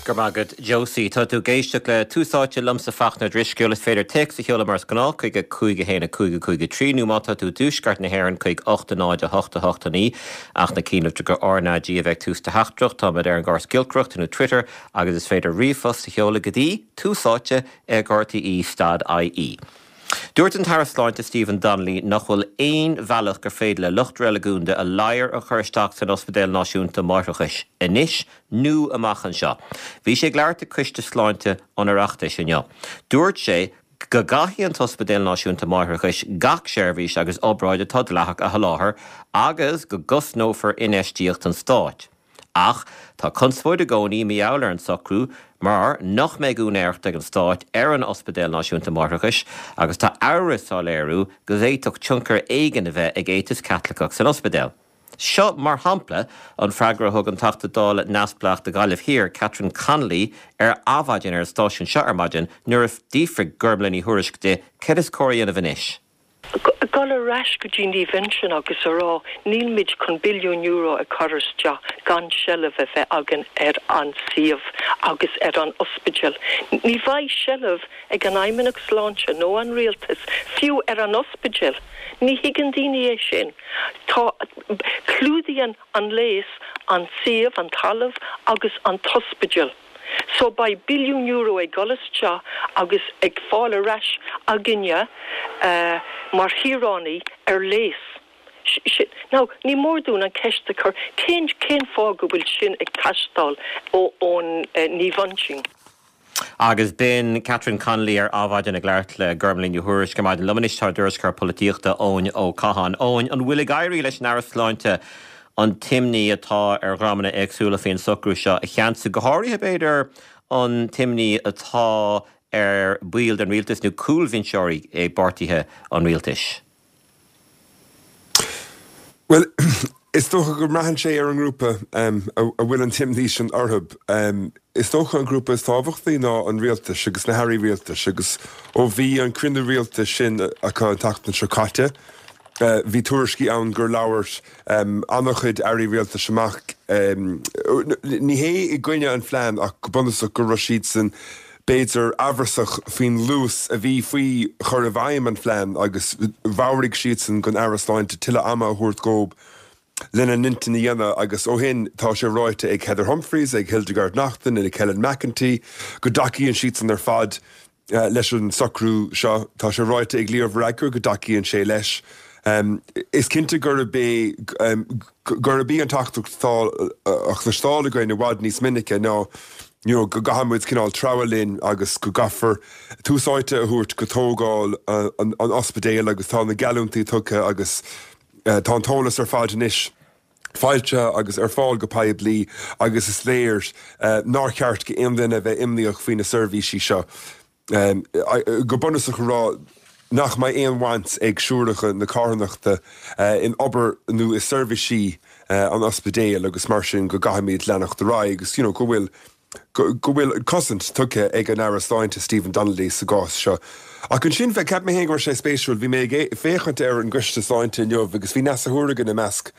Go raibh maith agat, Josie. Tá tú ag éisteacht le Tús Áite liomsa Fachtna Ó Drisceoil. Is féidir téacs a sheoladh mar is gnáth chuig 5 1 5 5 3 nó má tá tú i dtuaisceart na hÉireann chuig 8 0 8 8 9. Ach ná cuimhnigh gur RnaG a bheidh tús do theachtaireacht. Táimid ar an gcóras giolcaireachta nó Twitter agus is féidir ríomhphost a sheoladh go dtí tús áite ag rte stad ie. Dúirt an tAire Sláinte Stephen Donnelly nach bhfuil aon bhealach gur féidir le lucht reiligiúnda a ladhar a chur isteach san Ospidéal Náisiúnta Máithreachais anois nó amach anseo. Bhí sé ag labhairt ag Coiste Sláinte an Oireachtais inniu. Dúirt sé go gcaithfidh an tOspidéal Náisiúnta Máithreachais gach seirbhís agus obráid atá dleathach a sholáthar agus go gcosnófar infheistíocht an stáit. Ach tá conspóid i gcónaí mar gheall ar an socrú mar nach mbeidh úinéireacht ag an Stát ar an Ospidéal Náisiúnta Máithreachais agus tá amhras á léiriú go bhféadfadh tionchar éigin a bheith ag éiteas Caitliceach san ospidéal. Seo, mar shampla, an freagra a thug an Teachta Dála neamhspleách do Ghaillimh Thiar, Catherine Connolly, ar Adhmhaidin ar an stáisiún seo ar maidin nuair a d'fhiafraigh Gormlaith Ní Thuairisg di céard is cóir a dhéanamh anois. Dul ar ais go dtí Naomh Uinseann agus a rá nílmid chun billiún euro a chur isteach gan seilbh a bheith againn ar an suíomh agus ar an ospidéal. Ní bheidh seilbh ag an Fheidhmeannacht Sláinte nó an Rialtas fiú ar an ospidéal. Ní thuigeann daoine é sin. Tá, clúdaíonn an léas an suíomh, an talamh agus an t-ospidéal. So beidh billiún euro ag dul isteach agus ag fáil ar ais againne mar shaoránaigh ar léas. Now, ní mór dúinn an ceist a chur, cén cén fáth go bhfuil sin ag teastáil ón Naomh Uinseann? Agus b'in Catherine Connolly ar Adhmhaidin ag labhairt le Gormlaith Ní Thuairisg ar maidin. Liom anois tá ár dtuairisceoir polaitíochta Eoin Ó Catháin. Eoin, an bhfuil ag éirí leis an Aire Sláinte an t-imní atá ar dhreamanna éagsúla faoin socrú seo a cheansú, go háirithe, b'fhéidir, an t-imní atá ar bhaill den rialtas nó cúlbhinseoirí i bpáirtithe an rialtais. Bhuel, is dócha go mbraitheann sé ar an ngrúpa a bhfuil an t-imní sin orthu. Is dócha an grúpa is tábhachtaí ná an rialtas agus na hairí rialtais agus ó bhí an cruinniú rialtais sin acu an tseachtain seo caite, Bhí tuairiscí ann gur labhair an-chuid airí rialtais amach, ní hé i gcoinne an phlean ach go bunúsach go raibh siadsan b'fhéidir amhrasach faoin luas a bhí faoi chur i bhfeidhm an phlean agus mheabhraigh siadsan don Aire Sláinte tuilleadh ama a thabhairt dhób lena n-intinn a dhéanamh agus ó shin tá sé ráite ag Heather Humphreys, ag Hildegarde Naughton, ag Helen McEntee go dtacaíonn siadsan ar fad leis an socrú seo. Tá sé ráite ag Leo Varadkar go dtacaíonn sé leis. Is cinnte gurb é gurb í an teachtaireacht atá á chloisteáil againn i bhfad níos minice ná you know go gcaithfidh muid cineál treabhadh linn agus go gcaithfear tús áite a thabhairt go tógáil an ospidéil agus tá na geallúintí tugtha agus tá an t-eolas ar fad anois foilsithe agus ar fáil go poiblí agus is léir nár cheart go aon duine a bheith imníoch faoi na seirbhísí seo. Go bunúsach a rá nach mbeidh aon bhaint ag siúracha na carthanachta in obair nó i seirbhísí an ospidéil agus mar sin go gcaithfimid leanacht ar aghaidh agus you know go bhfuil go bhfuil cosaint tugtha ag an Aire Sláinte Stephen Donnelly sa gcás seo. Ach ansin, cheap mé féin go raibh sé spéisiúil, bhí mé ag féachaint ar an gCoiste Sláinte inniu agus bhí Neasa Hourigan i measc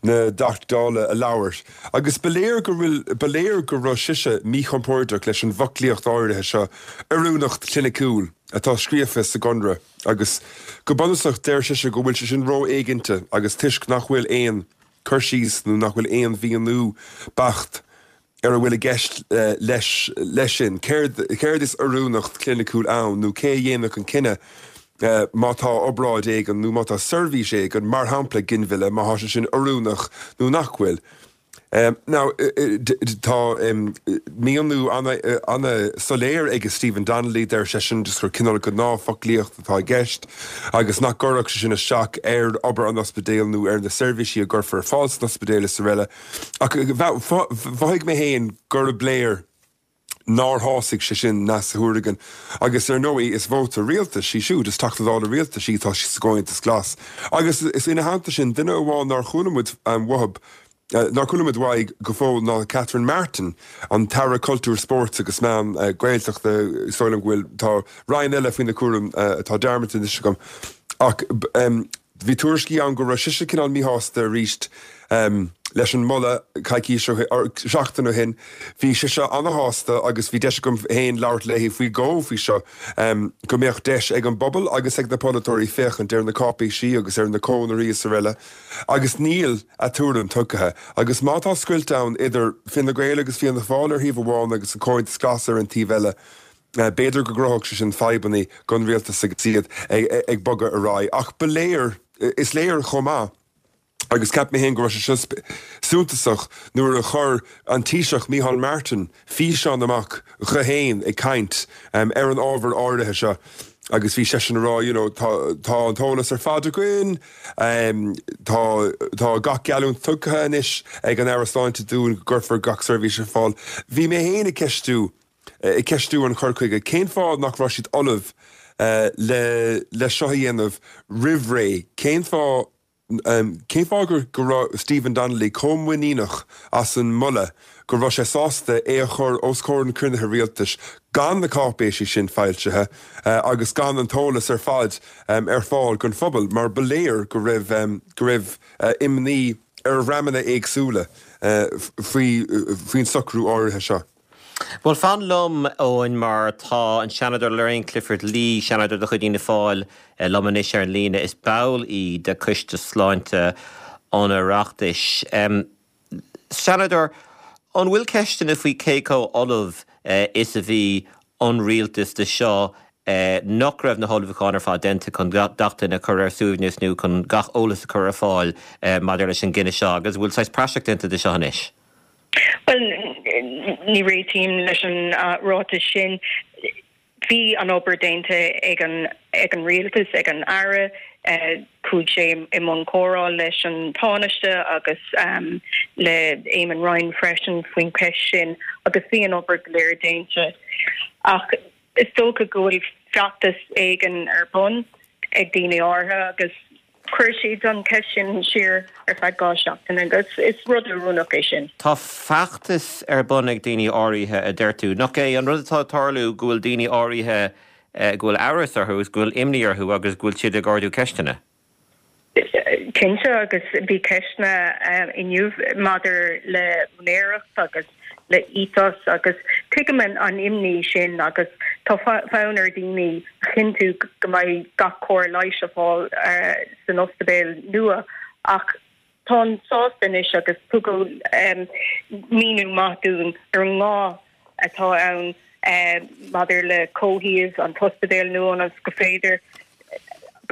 na dTeachtaí Dála a labhair agus ba léir go bhfuil, ba léir go raibh sise míchompordach leis an bhfoclaíocht áirithe seo, oiriúnacht chliniciúil, atá scríofa sa gconradh agus go bunúsach deir sise go bhfuil sé sin ró-éiginnte agus toisc nach bhfuil aon cur síos nó nach bhfuil aon mhíniú beacht ar a bhfuil i gceist leis leis sin, céard céard is oiriúnacht chliniciúil ann nó cé a dhéanfadh an cinneadh má tá obráid éigin nó má tá seirbhís éigin, mar shampla ginmhilleadh, má tá sé sin oiriúnach nó nach bhfuil. Now, tá míniú an-soiléir ag Stephen Donnelly, deir seisean just gur cineál gnáthfhoclaíocht atá i gceist agus nach gcuirfeadh sé sin isteach ar obair an ospidéil nó ar na seirbhísí a gcuirfear ar fáil san ospidéal is araile. Ach mhothaigh mé féin gurb léir nár shásaigh sé sin Neasa Hourigan agus ar ndóigh is vóta rialtais í siúd, is Teachta Dála rialtais í, tá sí sa gComhaontas Glas. Agus is ina theannta sin, duine amháin nár chuala muid uathub, nár chuala muid uaidh go fóill ná Catherine Martin, an tAire Cultúir, Spóirt agus Meán Gaeltachta, is dóigh liom go bhfuil, tá roinn eile faoina cúram atá dearmadta anois agam. Ach. Bhí tuairiscí ann go raibh sise cineál míshásta arís. leis an moladh coicís ó shin, seachtain ó shin. Bhí sise ana-shásta agus bhí deis agam féin labhairt léi faoi dhó faoi seo, go mbeadh deis ag an bpobal agus ag na polaiteoirí féachaint ar na cáipéisí agus ar na conarthaí is araile agus níl a tuairim tugtha. Agus má tá scoilt ann idir Fine Gael agus Fianna Fáil ar thaobh amháin agus an Comhaontas Glas ar an taobh eile, b'fhéidir go gcruthódh sé sin fadhbanna don rialtas agus iad ag bogadh ar aghaidh. Ach ba léir, is léir chomh maith, Agus cheap mé féin go raibh sé seo suntasach nuair a chuir an Taoiseach Micheál Martin físeán amach dhe fhéin ag caint ar an ábhar áirithe seo agus bhí seisean ag rá you know tá tá an t-eolas ar fad againn, tá tá gach geallúint tugtha anois ag an Aire Sláinte dúinn go gcuirfear gach seirbhís ar fáil. Bhí mé féin ag ceistiú ag ceistiú an chur chuige cén fáth nach raibh siad ullamh le le seo a dhéanamh roimh ré, cén fáth Cén fáth go raibh Stephen Donnelly chomh muiníneach as an moladh go raibh sé sásta é a chur os comhair an chruinnithe rialtais gan na cáipéisí sin foilsithe agus gan an t-eolas ar fad ar fáil don phobal mar ba léir go raibh go raibh imní ar dhreamanna éagsúla faoin socrú áirithe seo. Bhuel, fan liom, Eoin, mar tá an Seanadóir Lorraine Clifford-Lee, Seanadóir de chuid Fhianna Fáil, liom anois ar an líne. Is ball í de Coiste Sláinte an Oireachtais. Seanadóir, an bhfuil ceisteanna faoi cé chomh ullamh is a bhí an rialtas do seo, nach raibh na hullmhúcháin ar fad déanta chun gach duine a chur ar a suaimhneas nó chun gach eolas a chur ar fáil maidir leis an gcinneadh seo, agus an bhfuil saghas praiseach déanta de seo anois? Bhuel, ní réitím leis an ráiteas sin. Bhí an obair déanta ag an ag an rialtas, ag an Aire. Chuaigh sé i mbun comhrá leis an Tánaiste agus le Eamon Ryan freisin faoin cheist sin agus bhí an obair go léir déanta. Ach is dócha go bhfuil feachtas éigin ar bun ag daoine áirithe agus Chuir siad an cheist sin siar ar feadh 2 seachtaine agus is rud oiriúnach é sin. Tá feachtas ar bun ag daoine áirithe, a deir tú. Nach é an rud atá ag tarlú go bhfuil daoine áirithe go bhfuil amhras orthu agus go bhfuil imní orthu agus go bhfuil siad ag ardú ceisteanna? Cinnte, agus bhí ceisteanna inniu maidir le úinéireacht agus le ethos agus tuigim an imní sin agus tá fonn ar daoine a chinntiú go mbeidh gach cóir leighis ar fáil san ospidéal nua ach táim sásta anois agus tugadh míniú maith dúinn ar an ngá atá ann maidir le comhshuíomh an t-ospidéal nua ionas gur féidir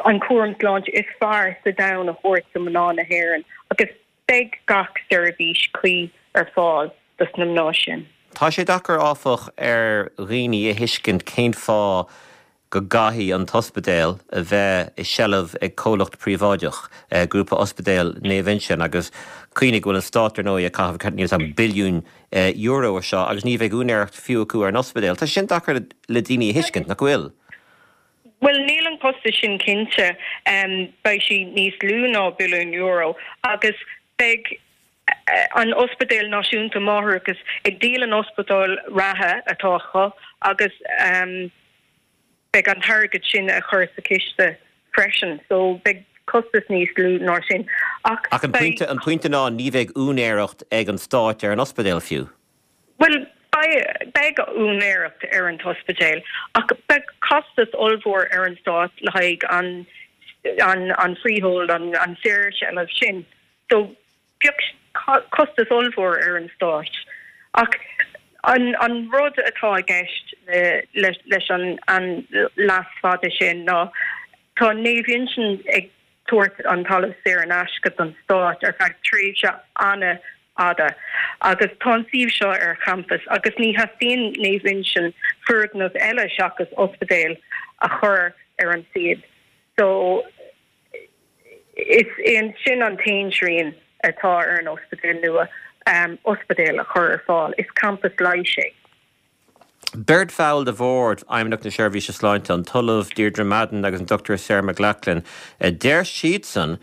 an cúram sláinte is fearr sa domhan a thabhairt do mhná na hÉireann agus Beidh gach seirbhís cuí ar fáil dos na mná sin. Tá sé deacair, áfach, ar dhaoine a thuiscint cén fáth go gcaithfidh an t-ospidéal a bheith i seilbh ag comhlacht príobháideach, Grúpa Ospidéal Naomh Uinseann, agus cuimhnigh go bhfuil an Stát, ar ndóigh, ag caitheamh níl 's agam billiún euro ar seo agus ní bheidh úinéireacht fiú acu ar an ospidéal. Tá sé sin deacair le daoine a thuiscint, nach bhfuil? Bhuel, níl an costas sin cinnte. Beidh sé níos lú ná billiún euro agus beidh an Ospidéal Náisiúnta Máithreachais ag díol an ospidéal reatha atá acu agus beidh an t-airgead sin a chur sa chiste freisin. So beidh costas níos lú ná sin. Ach an pointe, an pointe ná ní bheidh úinéireacht ag an Stát ar an ospidéal fiú. Bhuel, beidh úinéireacht ar an t-ospidéal, ach beidh costas ollmhór ar an stát le haghaidh an an freehold, an saorsheilbh sin. So, beidh costas ollmhór ar an stát. Ach an an rud atá i gceist leis an an leas fada sin ná tá Naomh Uinseann ag tabhairt an talamh saor in aisce don stát ar feadh tréimhse an-fhada agus tá an suíomh seo ar champas agus ní theastaíonn Naomh Uinseann foirgneamh eile seachas ospidéal a chur ar an suíomh so is é sin an t-aon srian atá ar an ospidéal nua, ospidéal a chur ar fáil. Is campas leighis é. Beirt bhall de Bhord Fheidhmeannacht na Seirbhíse Sláinte, an tOllamh Deirdre Madden agus an Dr Sarah McLaughlin, deir siadsan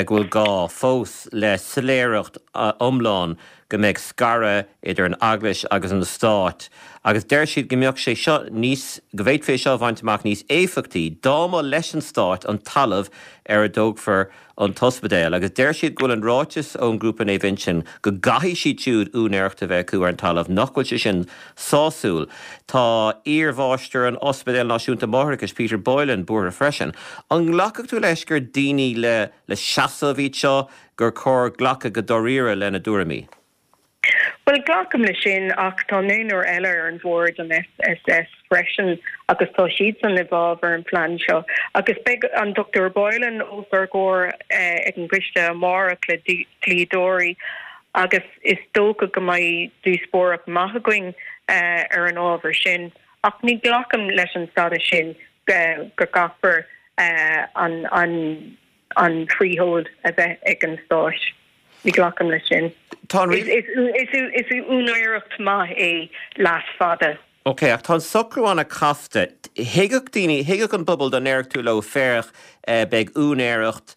go bhfuil gá fós le soiléireacht iomlán go mbeidh scaradh idir an Eaglais agus an Stát agus deir siad go mbeadh sé seo níos, go bhféadfaí é seo a bhaint amach níos éifeachtaí dá mba leis an Stát an talamh ar a dtógfar. an t-ospidéal agus deir siad go bhfuil an ráiteas ón ngrúpa Naomh Uinseann go gcaithfidh siad siúd úinéireacht a bheith acu ar an talamh, nach bhfuil sé sin sásúil. Tá iarmháistir an Ospidéil Náisiúnta Máithreachais, Peter Boylan, buartha freisin. An nglacfadh tú leis gur daoine le le seasamh iad seo, gur chóir glacadh go dáiríre lena dtuairimí? Bhuel, glacaim leis sin, ach tá naonúr eile ar an bhord, an FSS, freisin agus tá siadsan i bhfabhar an phlean seo. Agus beidh an Dr Boylan os ár gcomhair ag an gcoiste amárach le dlíodóirí agus is dócha go mbeidh díospóireacht maith againn ar an ábhar sin. Ach ní ghlacaim leis an stádas sin go gcaithfear an an freehold a bheith ag an Stát. Ní ghlacaim leis sin. Tá an. Is úinéireacht maith é leas fada. Ok, ach tá an socrú an-chasta. Thuigfeadh daoine, thuigfeadh an pobal dá ndéarfadh tú leo, féach, beidh úinéireacht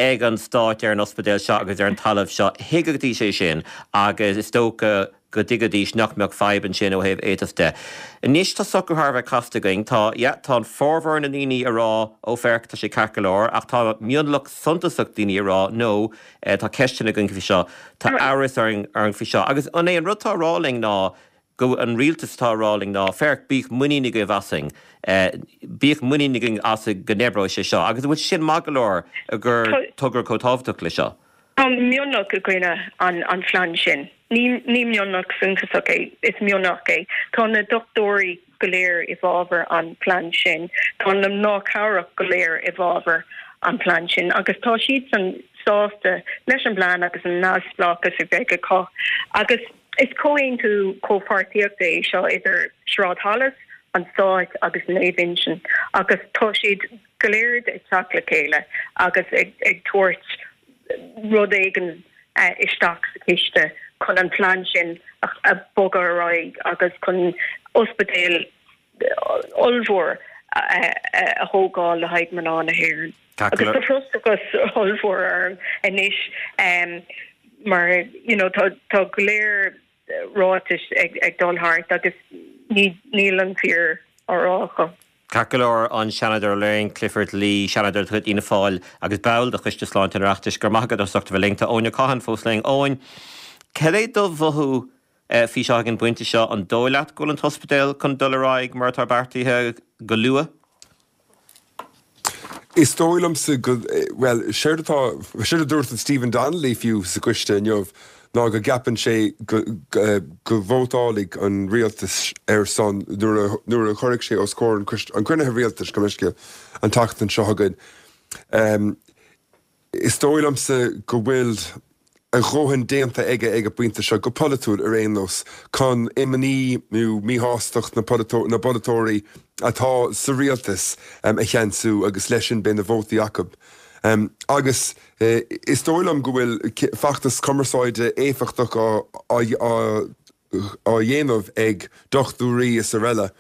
ag an Stát ar an ospidéal seo agus ar an talamh seo, thuigfidís é sin agus is dócha go dtuigfidís nach mbeadh fadhb ansin ó thaobh ethos de. Anois tá socrú thar a bheith casta againn. Tá, yeah, tá an formhór na ndaoine ag rá, ó féach, tá sé ceart go leor, ach tá mionlach suntasach daoine ag rá, no, tá ceisteanna againn faoi seo, tá amhras orainn faoi seo. Agus an é an rud atá á rá linn ná go an rialtas atá á rá linn ná, féach, bíodh muinín agaibh asainn, bíodh muinín againn asainn go n-oibreoidh sé seo. Agus an bhfuil sé sin maith go leor gur togra chomh tábhachtach le seo? Tá mionlach i gcoinne an phlean sin. Ní mionlach suntasach é, is mionlach é. Tá na dochtúirí go léir i bhfabhar an phlean sin. Tá na mná cabhrach go léir i bhfabhar an phlean sin agus tá siadsan sásta leis an bplean agus an neamhspleáchas a bheidh acu. Agus is comhaontú comhpháirtíochta é seo idir Sráid Holles, an Stát agus Naomh Uinseann agus tá siad go léir ag teacht le chéile agus ag tabhairt rud éigin isteach sa chiste chun an plean sin a bhogadh ar aghaidh agus chun ospidéal ollmhór a thógáil le haghaidh mná na hÉireann. Agus tá frustrachas ollmhór orm anois mar you know tá go leor ráitis ag dul thart agus níl an fíor á rá acu. Ceart go leor, an Seanadóir Lorraine Clifford-Lee, Seanadóir de chuid Fhianna Fáil agus ball de Choiste Sláinte an Oireachtais, go raibh maith agat as ucht a bheith linn. Tá Eoin Ó Catháin fós linn. Eoin, cad é do mhothú faoi seo ag an bpointe seo? An dóigh leat go bhfuil an t-ospidéal chun dul ar aghaidh mar atá beartaithe go luath? Is dóigh liomsa go, bhuel, séard atá, séard a dúirt an Stephen Donnelly fiú sa gcoiste inniu ná go gceapann sé go, go vótálfaidh an rialtas ar son nuair a, nuair a chuirfidh sé os comhair an choiste, an chruinnithe rialtais, gabh mo leithscéal, an tseachtain seo chugainn. Is dóigh liomsa go bhfuil a dhóthain déanta aige ag an bpointe seo, go polaitiúil ar aon nós, chun imní nó míshástacht na bpolaiteoirí atá sa rialtas a cheansú agus leis sin beidh na vótaí acu. Agus is dóigh liom go bhfuil feachtas cumarsáide éifeachtach á á dhéanamh ag dochtúirí is araile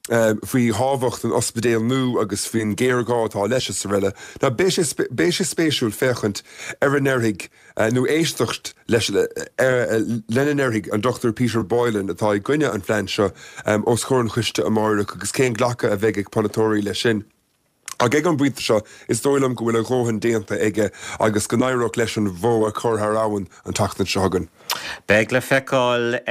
faoi thábhacht an ospidéil nua agus faoin ghéarghá atá leis is araile. Now beidh sé beidh sé spéisiúil féachaint ar a ndéarfaidh nó éisteacht leis lena ndéarfaidh an Dr Peter Boylan atá i gcoinne an phlean seo os comhair an choiste amáireach agus cén glacadh a bheidh ag polaiteoirí leis sin. Ach ag an bpointe seo, is dóigh liom go bhfuil a dhóthain déanta aige agus go n-éireodh leis an bhó a chur thar abhainn an tseachtain seo chugainn. Beidh le feiceáil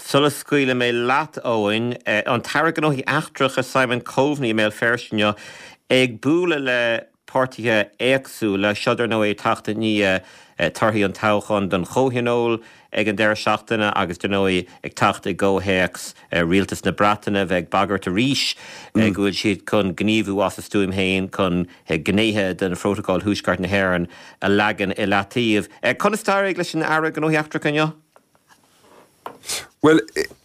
sula scaoilfidh mé leat, Eoin. An tAire Gnóthaí Eachtracha Simon Coveney i mBéal Feirste inniu ag bualadh le páirtithe éagsúla. Seo dar ndóigh ag teacht i ndiaidh torthaí an toghcháin don Chomhthionól ag an deireadh seachtaine agus dar ndóigh ag teacht i gcomhthéacs rialtas na Breataine bheith ag bagairt arís go bhfuil siad chun gníomhú as a stuaim féin chun gnéithe den Phrótacal Thuaisceart na hÉireann a leagan i leataobh. Conas d'éirigh leis an Aire Gnóthaí Eachtracha inniu? Bhuel,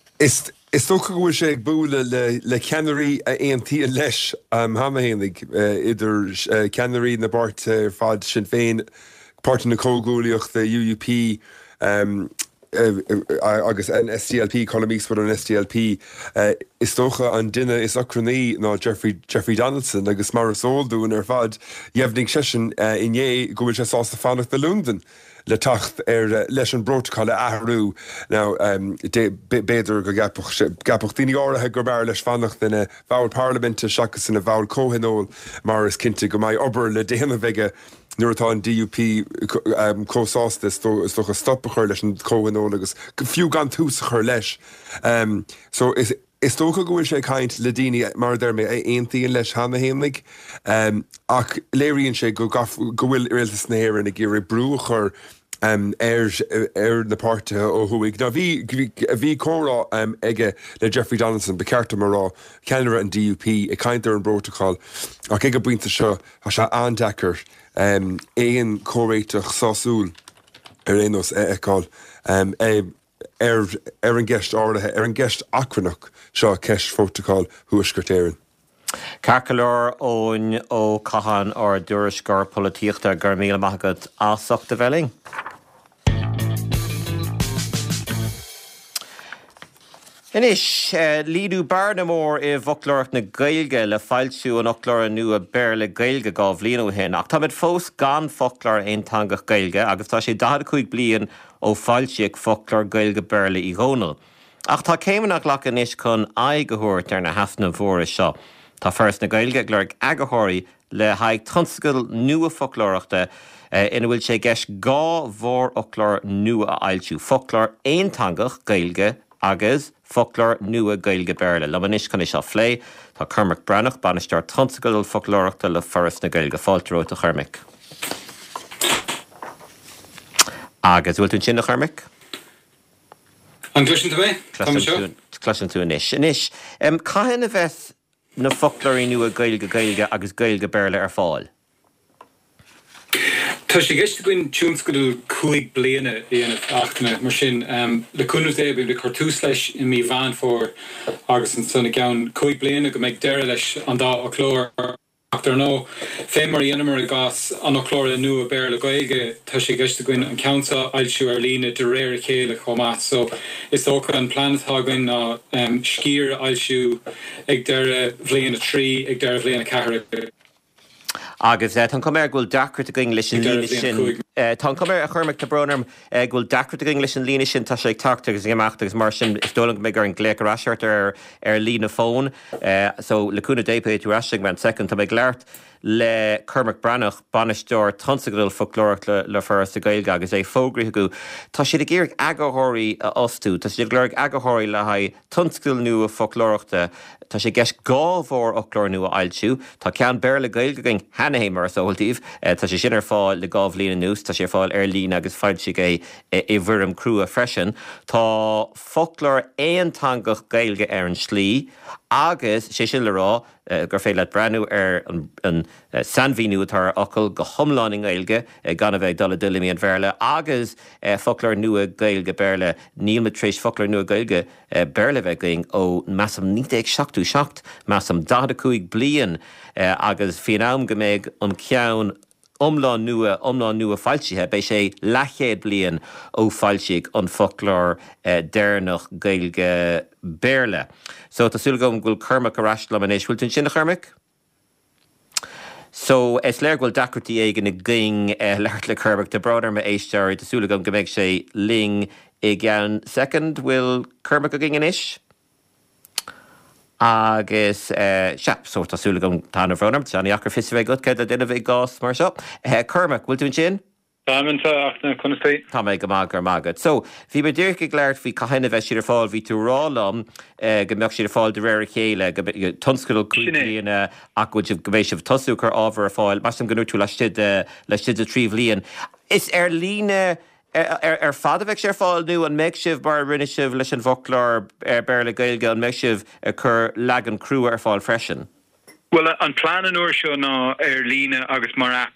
is dócha go bhfuil sé ag bualadh le ceannairí a aontaíonn leis cheana fhéinig, idir ceannairí na bpáirtithe ar fad, Sinn Féin, Páirtí na Comhghuaillíochta, UUP, agus an SDLP, Colum Eastwood ón SDLP. Is dócha an duine is ochrannaí ná Jeffrey Donaldson agus mar is eol dúinn ar fad, dheimhnigh seisean inné go bhfuil sé sásta fanacht i Londain. le teacht ar leis an bprótacal a athrú. Now, b'fhéidir go gceapfadh daoine áirithe gurb fhearr leis fanacht ina bhall parlaiminte seachas ina bhall comhthionóil mar is cinnte go mbeidh obair le déanamh aige. nuair atá an DUP chomh sásta, is dócha, stop a chur leis an chomhthionól agus fiú gan tús a chur leis. So is is dócha go bhfuil sé ag caint le daoine, mar a deir mé, a aontaíonn leis cheana fhéinig, ach léiríonn sé go go bhfuil Rialtas na hÉireann ag iarraidh brú a chur ar ar na páirtithe ó thuaidh. Now bhí bhí comhrá aige le Jeffrey Donaldson, ba cheart dom a rá, ceannaire an DUP, ag caint ar an bprótacal ach ag an bpointe seo tá sé an-deacair aon chomhréiteach sásúil ar aon nós a fheiceáil ar ar an gceist áirithe, ar an gceist achrannach seo, ceist Phrótacal Thuaisceart Éireann. Ceart go leor, Eoin Ó Catháin, ár dtuairisceoir polaitíochta, go raibh míle maith agat as ucht a bheith linn. Anois, líonadh bearna mór i bhfoclóireacht na Gaeilge le foilsiú an fhoclóra nua Béarla-Gaeilge 2 bhliain ó shin, ach táimid fós gan foclóir aonteangach Gaeilge agus tá sé 45 bliain ó foilsíodh foclóir Gaeilge-Béarla Uí Dhónaill. Ach tá céimeanna á nglacadh anois chun aghaidh a thabhairt ar na heasnaimh mhóra seo. Tá Foras na Gaeilge ag lorg eagarthóirí le haghaidh tionscadal nua foclóireachta ina bhfuil sé i gceist 2 mhórfhoclóir nua a fhoilsiú, foclóir aonteangach Gaeilge agus foclóir nua Gaeilge-Béarla. Liom anois chun é seo a phlé, tá Cormac Breathnach, Bainisteoir Tionscadal Foclóireachta le Foras na Gaeilge. Fáilte romhat, a Chormaic. Agus, bhfuil tú ansin, a Chormaic? An gcloiseann tú mé? Tá mé anseo. Cloisim tú anois. Anois, cathain a bheas na foclóirí nua Gaeilge-Gaeilge agus Gaeilge-Béarla ar fáil? Tá sé i gceist againn tionscadal 5 bliana a dhéanamh, a Fhachtna, mar sin, le cúnamh Dé, beimid ag cur tús leis i mí Mheán Fómhair agus ansan i gceann 5 bliana go mbeidh deireadh leis an dá fhoclóir. Ach dar ndóigh, fé mar a dheineamar i gcás an fhoclóra nua Béarla-Gaeilge, tá sé i gceist againn an ceann seo a fhoilsiú ar líne de réir a chéile chomh maith. So, is dócha an plean atá againn ná sciar a fhoilsiú ag deireadh bhliain 3, ag deireadh bhliain 4 agus. Agus tá an chuma air go bhfuil deacracht againn leis an líne sin. Tá an chuma air, a Chormaic, tá brón orm, go bhfuil deacracht againn leis an líne sin. Tá sé ag teacht agus ag imeacht agus mar sin is dóigh liom go mbeidh orainn glaoch ar ais ort ar ar líne fóin. So, le cúnamh Dé, beidh tú ar ais i gceann soicind. Tá mé ag labhairt le Cormac Breathnach, Bainisteoir Tionscadal Foclóireachta le Foras na Gaeilge agus é fógraithe acu. Tá siad ag iarraidh eagarthóirí a fhostú. Tá siad ag lorg eagarthóirí le haghaidh tionscadal nua foclóireachta. Tá sé i gceist 2 mhórfhoclóir nua a fhoilsiú. Tá ceann Béarla-Gaeilge againn cheana féin, mar is eol daoibh. Tá sé sin ar fáil le 2 bhliain anuas. Tá sé ar fáil ar líne agus foilsíodh é i bhfoirm crua freisin. Tá foclóir aonteangach Gaeilge ar an slí agus, sé sin le rá, gur féidir leat breathnú ar an sainmhíniú atá ar fhocal go hiomlán i nGaeilge gan a bheith ag dul i dtuilleamaí an Bhéarla agus foclóir nua Gaeilge-Béarla. Níl muid tar éis foclóir nua Gaeilge Béarla a bheith againn ó, measaim, 1977, measaim, 45 bliain agus faoin am go mbeidh an ceann iomlán nua, iomlán nua foilsithe, beidh sé leathchéad bliain ó foilsíodh an foclóir deireanach Gaeilge Béarla. So, tá súil agam go bhfuil Cormac ar ais liom anois. Bhfuil tú ansin, a Chormaic? So, is léir go bhfuil deacrachtaí éigin againn labhairt le Cormac. Tá brón orm a éisteoirí, tá súil agam go mbeidh sé linn i gceann soicind. Bhfuil Cormac againn anois? Agus, sea, so tá súil agam, tá an-bhrón orm, tá sé an-dheacair fios a bheith agat céard le déanamh i gcás mar seo. Cormac, bhfuil tú ansin? Táim anseo, a Fhachtna, conas tá? Tá mé go maith, go raibh maith agat. So, bhí mé díreach ag labhairt faoi cathain a bheidh siad ar fáil, bhí tú ag rá liom go mbeadh siad ar fáil de réir a chéile, go tionscadal 5 Sin é. bliana ach go bhfuil sibh, go mbeidh sibh ag tosú ag cur ábhar ar fáil, measaim go ndúirt tú laistigh de, laistigh de thrí bhliain. Is ar líne Ar fad a bheidh sé ar fáil nó an mbeidh sibh, mar a rinne sibh leis an bhfoclóir Béarla-Gaeilge, an mbeidh sibh ag cur leagan crua ar fáil freisin? Bhuel, an plean an uair seo ná ar líne agus mar aip.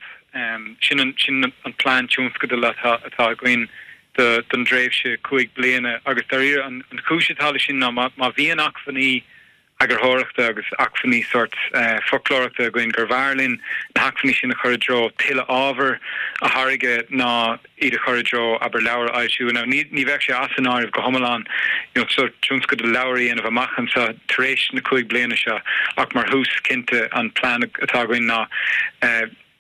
Sin an sin an plean tionscadail atá atá againn do don dtréimhse 5 bliana agus dáiríre an chúis atá leis sin ná má má bhíonn acmhainní eagarthóireachta agus acmhainní sórt foclóireachta againn gurbh fhearr linn na hacmhainní sin a chur i dtreo tuilleadh ábhair a tháirgeadh ná iad a chur i dtreo, abair, leabhar a fhoilsiú. Now, ní ní bheadh sé as an áireamh go hiomlán you know sórt tionscadal leabhar a dhéanamh amach anseo tar éis na 5 bliana seo ach mar thús, cinnte, an plean atá againn ná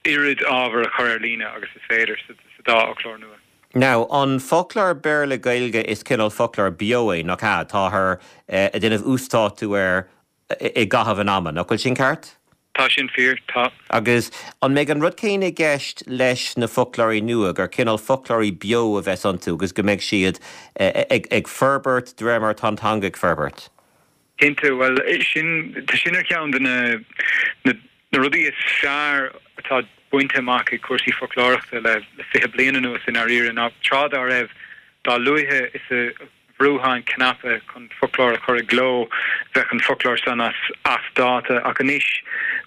oiread ábhair a chur ar líne agus is féidir sa dá fhoclóir nua. Now, an foclóir Béarla-Gaeilge is cineál foclóir beo é, nach ea? Táthar ag déanamh uasdátú air i gcaitheamh an ama, nach bhfuil sin ceart? Tá sin fíor, tá. Agus an mbeidh an rud céanna i gceist leis na foclóirí nua, gur cineál foclóirí beo a bheas iontu agus go mbeidh siad ag forbairt de réir mar atá an teanga ag forbairt? Cinnte, bhuel, sin, tá sin ar cheann de na, na, na rudaí is fearr atá bainte amach ag cúrsaí foclóireachta le, le 20 bliain anuas i ndáiríre, ná tráth dá raibh, dá luaithe is a bhrúfá an cnaipe chun foclóir a chur i gcló, bheadh an foclóir san as as dáta. Ach anois,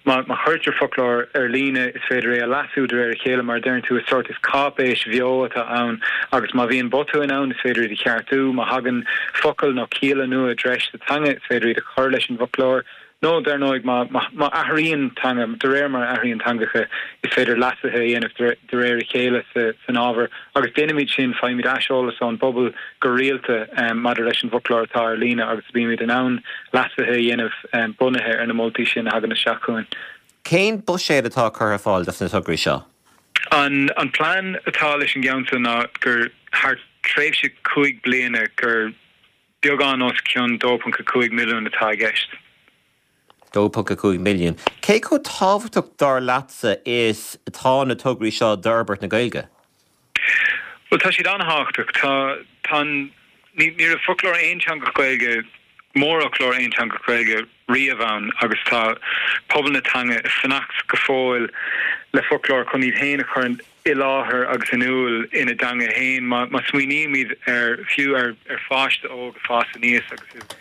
má má chuirtear foclóir ar líne, is féidir é a leasú de réir a chéile, mar a deireann tú, is sórt, is cáipéis bheo atá ann agus má bhíonn botúin ann, is féidir iad a cheartú. Má thagann focail nó cialla nua i dtreis sa teanga, is féidir iad a chur leis an bhfoclóir. Nó, dar ndóigh, má má athraíonn teanga, de réir mar a athraíonn teangacha, is féidir leasuithe a dhéanamh de réir a chéile san ábhar. Agus déanaimid sin, faighimid aiseolas ón bpobal go rialta maidir leis an bhfoclóir atá ar líne agus bímid in ann leasuithe a dhéanamh bunaithe ar na moltaí sin a thagann isteach chugainn. Cén buiséad atá curtha ar fáil dos na tograí seo? An an plean atá leis an gceann seo ná gur thar tréimhse 5 bliana gur Beagán os cionn 2.5 milliún atá i gceist. 2.5 milliún. Cé chomh tábhachtach, dar leatsa, is atá na tograí seo d'fhorbairt na Gaeilge? Bhuel, tá siad an-thábhachtach. Tá, tá an, ní, ní raibh foclóir aonteangach Gaeilge, mórfhoclóir aonteangach Gaeilge riamh ann agus tá pobal na teanga ag fanacht go fóill le foclóir chun iad féin a chur i láthair agus in iúl ina dteanga féin. Má smaoinímid ar, fiú ar pháiste óg ag fás aníos agus ag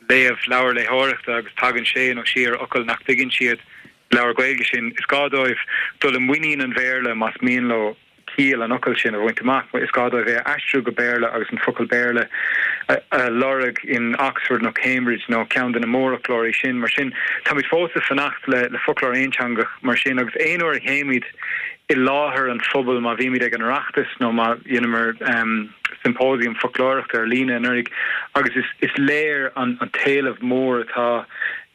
léamh leabhar léitheoireachta agus tagann sé nó sí ar fhocal nach dtuigeann siad sa leabhar Gaeilge sin, is gá dóibh dul i muinín an Bhéarla más mian leo ciall an fhocail sin a bhaint amach. Is gá dóibh é a aistriú go Béarla agus an focal Béarla a lorg in Oxford nó Cambridge nó ceann de na mórfhoclóirí sin. Mar sin, táimid fós ag fanacht le foclóir aonteangach mar sin agus aon uair a théimid i láthair an phobail má bhímid ag an Oireachtas nó má dheineamar symposium foclóireachta ar líne anuraidh agus is léir an t-éileamh mór atá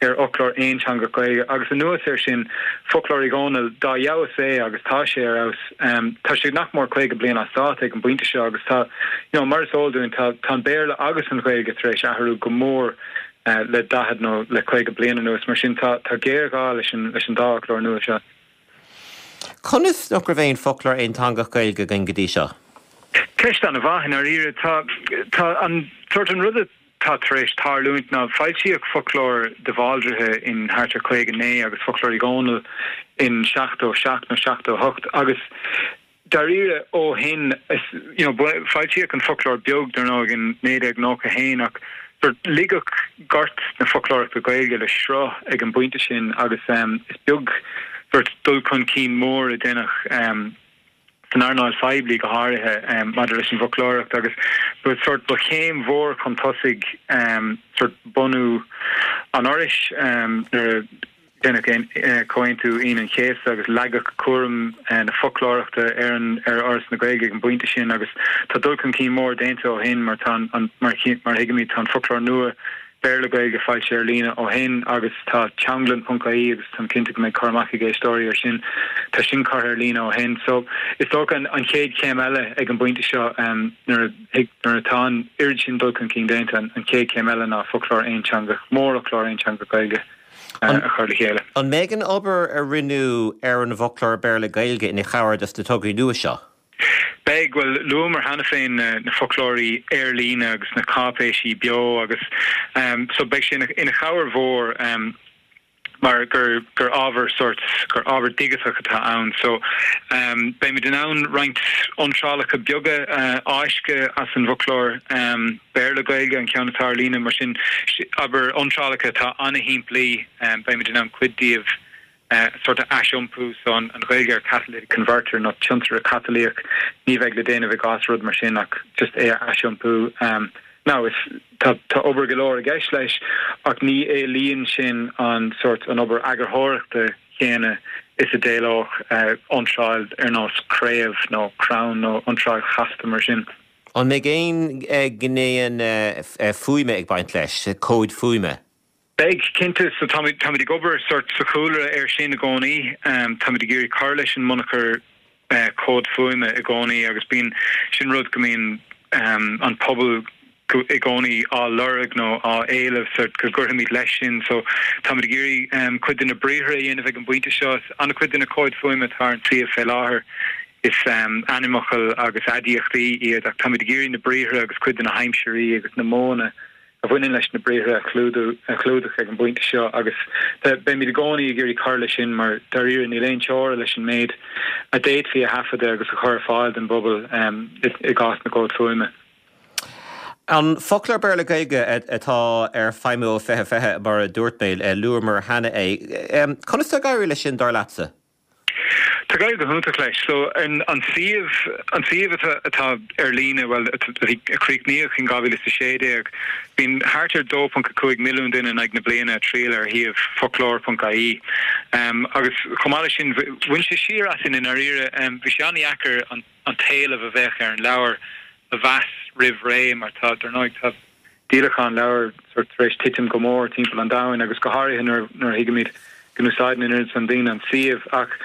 ar fhoclóir aonteangach Gaeilge agus anuas air sin Foclóir Uí Dhónaill, dá fheabhas é agus tá sé ar fheabhas, tá sé nach mór 50 bliain as dáta ag an bpointe seo agus tá, you know, mar is eol dúinn, tá tá an Béarla agus an Ghaeilge tar éis athrú go mór le 40 nó le 50 bliain anuas, mar sin tá tá géarghá leis an leis an dá fhoclóir nua seo. Conas nach raibh aon foclóir aonteangach Gaeilge againn go dtí seo? Ceist an-mhaith, i ndáiríre. Tá, tá an, sórt an rud atá tar éis tarlúint ná foilsíodh foclóir de Bhaldraithe in thart ar 59 agus foclóir Uí Dhónaill in 77 nó 78 agus Dáiríre, ó shin, is, you know, foilsíodh an Foclóir Beag, dar ndóigh, in 1991 ach sórt ligeadh gort na foclóireachta Gaeilge le sruth ag an bpointe sin agus is beag sórt dul chun cinn mór a deineadh san earnáil phoiblí go háirithe maidir leis an bhfoclóireacht agus ba sórt, ba chéim mhór chun tosaigh sórt bunú an Fhorais nuair a Deineadh Comhaontú Aoine an Chéasta agus leagadh cúram na foclóireachta ar an ar Fhoras na Gaeilge ag an bpointe sin agus tá dul chun cinn mór déanta ó shin mar tá an mar mar a thuigimid tá an foclóir nua Béarla-Gaeilge foilsithe ar líne ó shin agus tá teanglann ponc ie agus táim cinnte go mbeidh cur amach ag éisteoirí ar sin tá sin curtha ar líne ó shin so is dócha an an chéad chéim eile ag an bpointe seo nuair a nuair atá an oiread sin dul chun cinn déanta an chéad chéim eile ná foclóir aonteangach mórfhoclóir aonteangach Gaeilge. a chur le chéile. An mbeidh an obair a rinneadh ar an bhfoclóir Béarla-Gaeilge ina chabhair dos na tograí nua seo? Beidh. Bhuel, luamar cheana féin na foclóirí ar líne agus na cáipéisí beo agus so beidh sé ina chabhair mhór mar gur gur ábhar sórt, gur ábhar digiteach atá ann. So beimid in ann roinnt iontrálacha beaga a fháisceadh as an bhfoclóir. Béarla-Gaeilge an ceann atá ar líne, mar sin, abair, iontrálacha atá an-shimplí, beimid in ann cuid díobh sórt a aisiompú, so an Ghaeilge ar catalytic converter nó tiontaire catalaíoch, ní bheidh le déanamh i gcás rud mar sin ach just é a aisiompú. Now, is, tá, tá obair go leor i gceist leis ach ní éilíonn sin an sórt, an obair eagarthóireachta chéanna is a d'éileodh iontráil ar nós craobh nó crann nó iontráil chasta mar sin. An mbeidh aon ghnéanna fuaime ag baint leis, comhaid fuaime? Beidh, cinnte. So táimid, táimid ag obair sórt sa chúlra air sin i gcónaí. Táimid ag iarraidh cur leis an mbunachar comhad fuaime i gcónaí agus bíonn, sin rud go mbíonn an pobal. i gcónaí á lorg nó á éileamh sort go gcuirfimid leis sin. So táimid ag iarraidh cuid de na briathra a dhéanamh ag an bpointe seo. An-chuid de na comhaid fuaime atá ar an suíomh fé láthair is ainmfhocail agus aidiachtaí iad ach táimid ag iarraidh na briathra agus cuid de na haimsirí agus na modhanna a bhaineann leis na briathra a chlúdú a chlúdach ag an bpointe seo agus beimid i gcónaí ag iarraidh cur leis sin mar dáiríre níl aon teora leis an méid a d'fhéadfaí a thaifeadadh agus a chur ar fáil don bpobal i gcás na gcomhad fuaime. An Foclóir Béarla-Gaeilge atá ar feidhmiú ó 2020, mar a dúirt mé, luamar cheana é. Conas tá ag éirí leis sin, dar leatsa? Tá ag éirí go hiontach leis. So, an suíomh, an suíomh atá, atá ar líne, bhuel, a bhí, a críochnaíodh in 2016, bíonn thart ar 2.5 milliún duine in aghaidh na bliana ag triall ar shuíomh foclóir.ie. Agus chomh maith leis sin, bhain sé siar asainn i ndáiríre. Bhí sé an-dheacair an. an t-éileamh a bheadh ar an leabhar a mheas roimh ré mar tá, dar ndóigh, tá díolachán leabhar sort tar éis titim go mór timpeall an domhain agus go háirithe nuair nuair a thuigimid go n-úsáideann an oiread san daoine an suíomh. Ach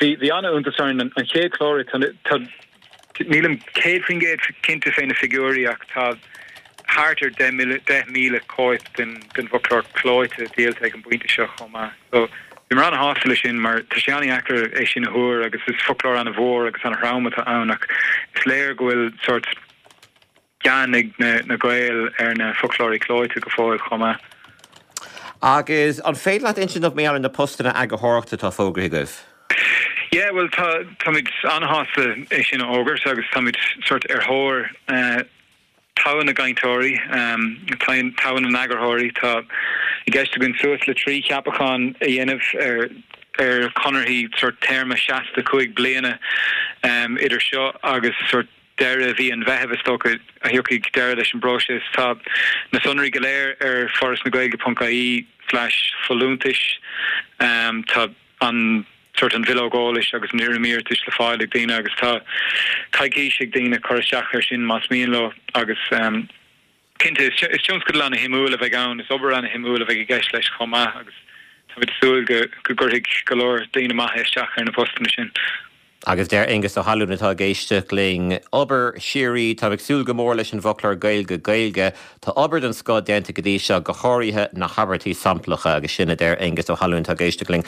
bhí bhí an-iontas orainn an chéad chlár tá tá nílim 100% cinnte fé na figiúirí ach tá thart ar 10,000 cóip den den bhfoclóir clóite díolta ag an bpointe seo chomh maith. So, bhíomar an-shásta leis sin mar tá sé an-dheacair é sin a thuar agus is foclóir an-mhór agus an-throm atá ann ach is léir go bhfuil sórt gean ag na na Gaeil ar na foclóirí clóite go fóill chomh maith. Agus an féidir leat insint dom mar gheall ar na postanna eagarthóireachta atá fógraithe agaibh? Yeah, bhuel tá táimid an-shásta é sin a fhógairt agus táimid sórt ar thóir eh, Togha na gcainteoirí, togha na n-eagarthóirí. Tá i gceist againn suas le 3 cheapachán a dhéanamh ar ar chonarthaí sórt téarma seasta 5 bliana idir seo agus sórt deireadh mhí an Mheithimh is dócha a thiocfaidh deireadh leis an bpróiseas. Tá na sonraí go léir ar forasnagaeilge ponc ie slash folúntais. Tá an sórt an bhileog eolais agus an fhoirm iarratais le fáil ag daoine agus tá coicís ag daoine cur isteach air sin más mian leo agus cinnte is tionscadal ana-shuimiúil a bheidh ann, is obair ana-shuimiúil a bheidh i gceist leis chomh maith agus táimid ag súil go go gcuirfidh go leor daoine maithe isteach ar na postanna sin. Agus deir Aengus Ó hAlúin atá ag éisteacht linn, Obair shíoraí, táim ag súil go mór leis an bhfoclóir Gaeilge-Gaeilge. Tá obair den scoth déanta go dtí seo, go háirithe na habairtí samplacha. Agus sin a deir Aengus Ó hAlúin atá ag éisteacht linn.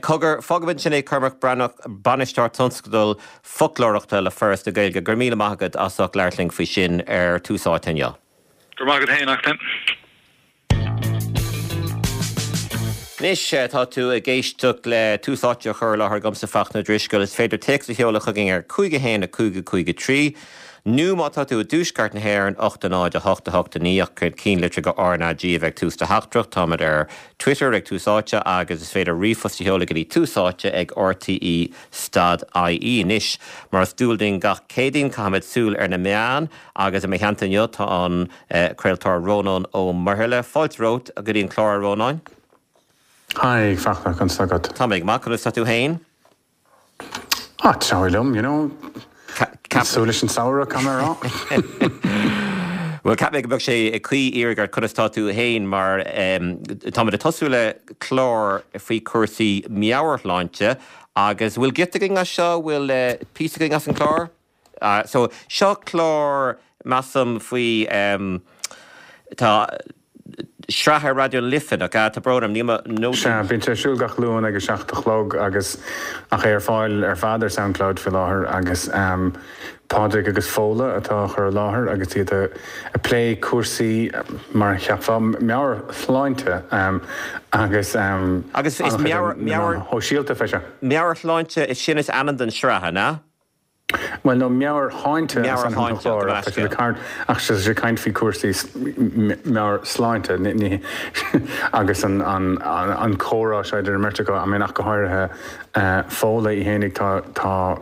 Cogar, fágfaimid ansin é, Cormac Breathnach, Bainisteoir Tionscadal Foclóireachta le Foras na Gaeilge. Go raibh míle maith agat as ucht labhairt linn faoi sin ar Tús Áite inniu. Go raibh maith agat féin, Neachtain. Anois, tá tú ag éisteacht le Tús Áite á chur i láthair agamsa, Fachtna Ó Drisceoil. Is féidir téacs a sheoladh chugainn ar 5 1 5 5 3, nó má tá tú i dtuaisceart na hÉireann, 8 0 8 8 9, ach cinnlitir go RnaG a bheith ag tús do theachtaireacht. Táimid ar Twitter ag Tús Áite agus is féidir ríomhphost a sheoladh go dtí túsáite ag rte stad ie. Anois, mar is dual dúinn gach Céadaoin, caithfimid súil ar na meáin agus i mo theannta inniu tá an. Craoltóir Rónán Ó Muirthile. Fáilte romhat go dtí an clár, a Rónáin. Hi, Fachtna, conas tá agat? Tá mé go maith, conas tá tú fhéin? Ah, tá liom, you know. Ag súil leis an samhradh, caithfidh mé a rá. Bhuel, cheap mé go mbeadh sé cuí iarraidh ort conas tá tú fhéin mar táimid ag tosú le clár faoi chúrsaí meabhairshláinte agus bhfuil giota againn as seo, bhfuil píosa againn as an chlár? So, seo clár, measaim, faoi, tá sraith ar Raidió na Life, nach ea? Tá brón orm, níl mo nótaí. Sea, bíonn sé ar siúl gach Luan ag a 7 a chlog agus, ach é ar fáil ar fad ar Soundcloud faoi láthair agus Pádraig agus Fódhla atá á chur i láthair agus iad ag plé cúrsaí, mar a cheapfá, meabhairshláinte agus Agus is meabhair, meabhair. shóisialta fé seo. Meabhairshláinte, sin is ainm don sraith, an ea? Bhuel, nó meabhairshláinte is ainm don chlár ach tá siad ag caint, ach tá siad ag caint faoi chúrsaí meabhairshláinte agus an an comhrá seo idir an mbeirt acu, I mean ach go háirithe Fódhla í fhéinig, tá, tá,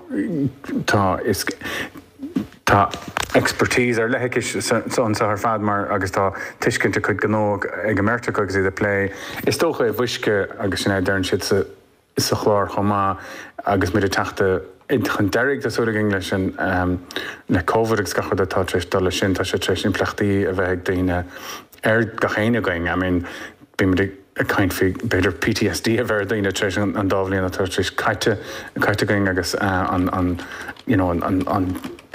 tá, is, tá expertise ar leith aici anseo ar fad mar agus tá tuiscint a cuid gnó ag an mbeirt acu agus iad ag plé, is dócha i bhfuisce agus sin é a deireann siad sa. sa chlár chomh maith agus muid ag teacht chun deiridh, tá súil againn, leis an le Covid agus gach rud atá tar éis dul leis sin, tá sé tar éis impleachtaí a bheith ag daoine ar gach éinne againn. I mean bímid ag caint faoi b'fhéidir PTSD a bheith ar dhaoine tar éis an dá bhliain atá tar éis caite caite againn agus an an you know an an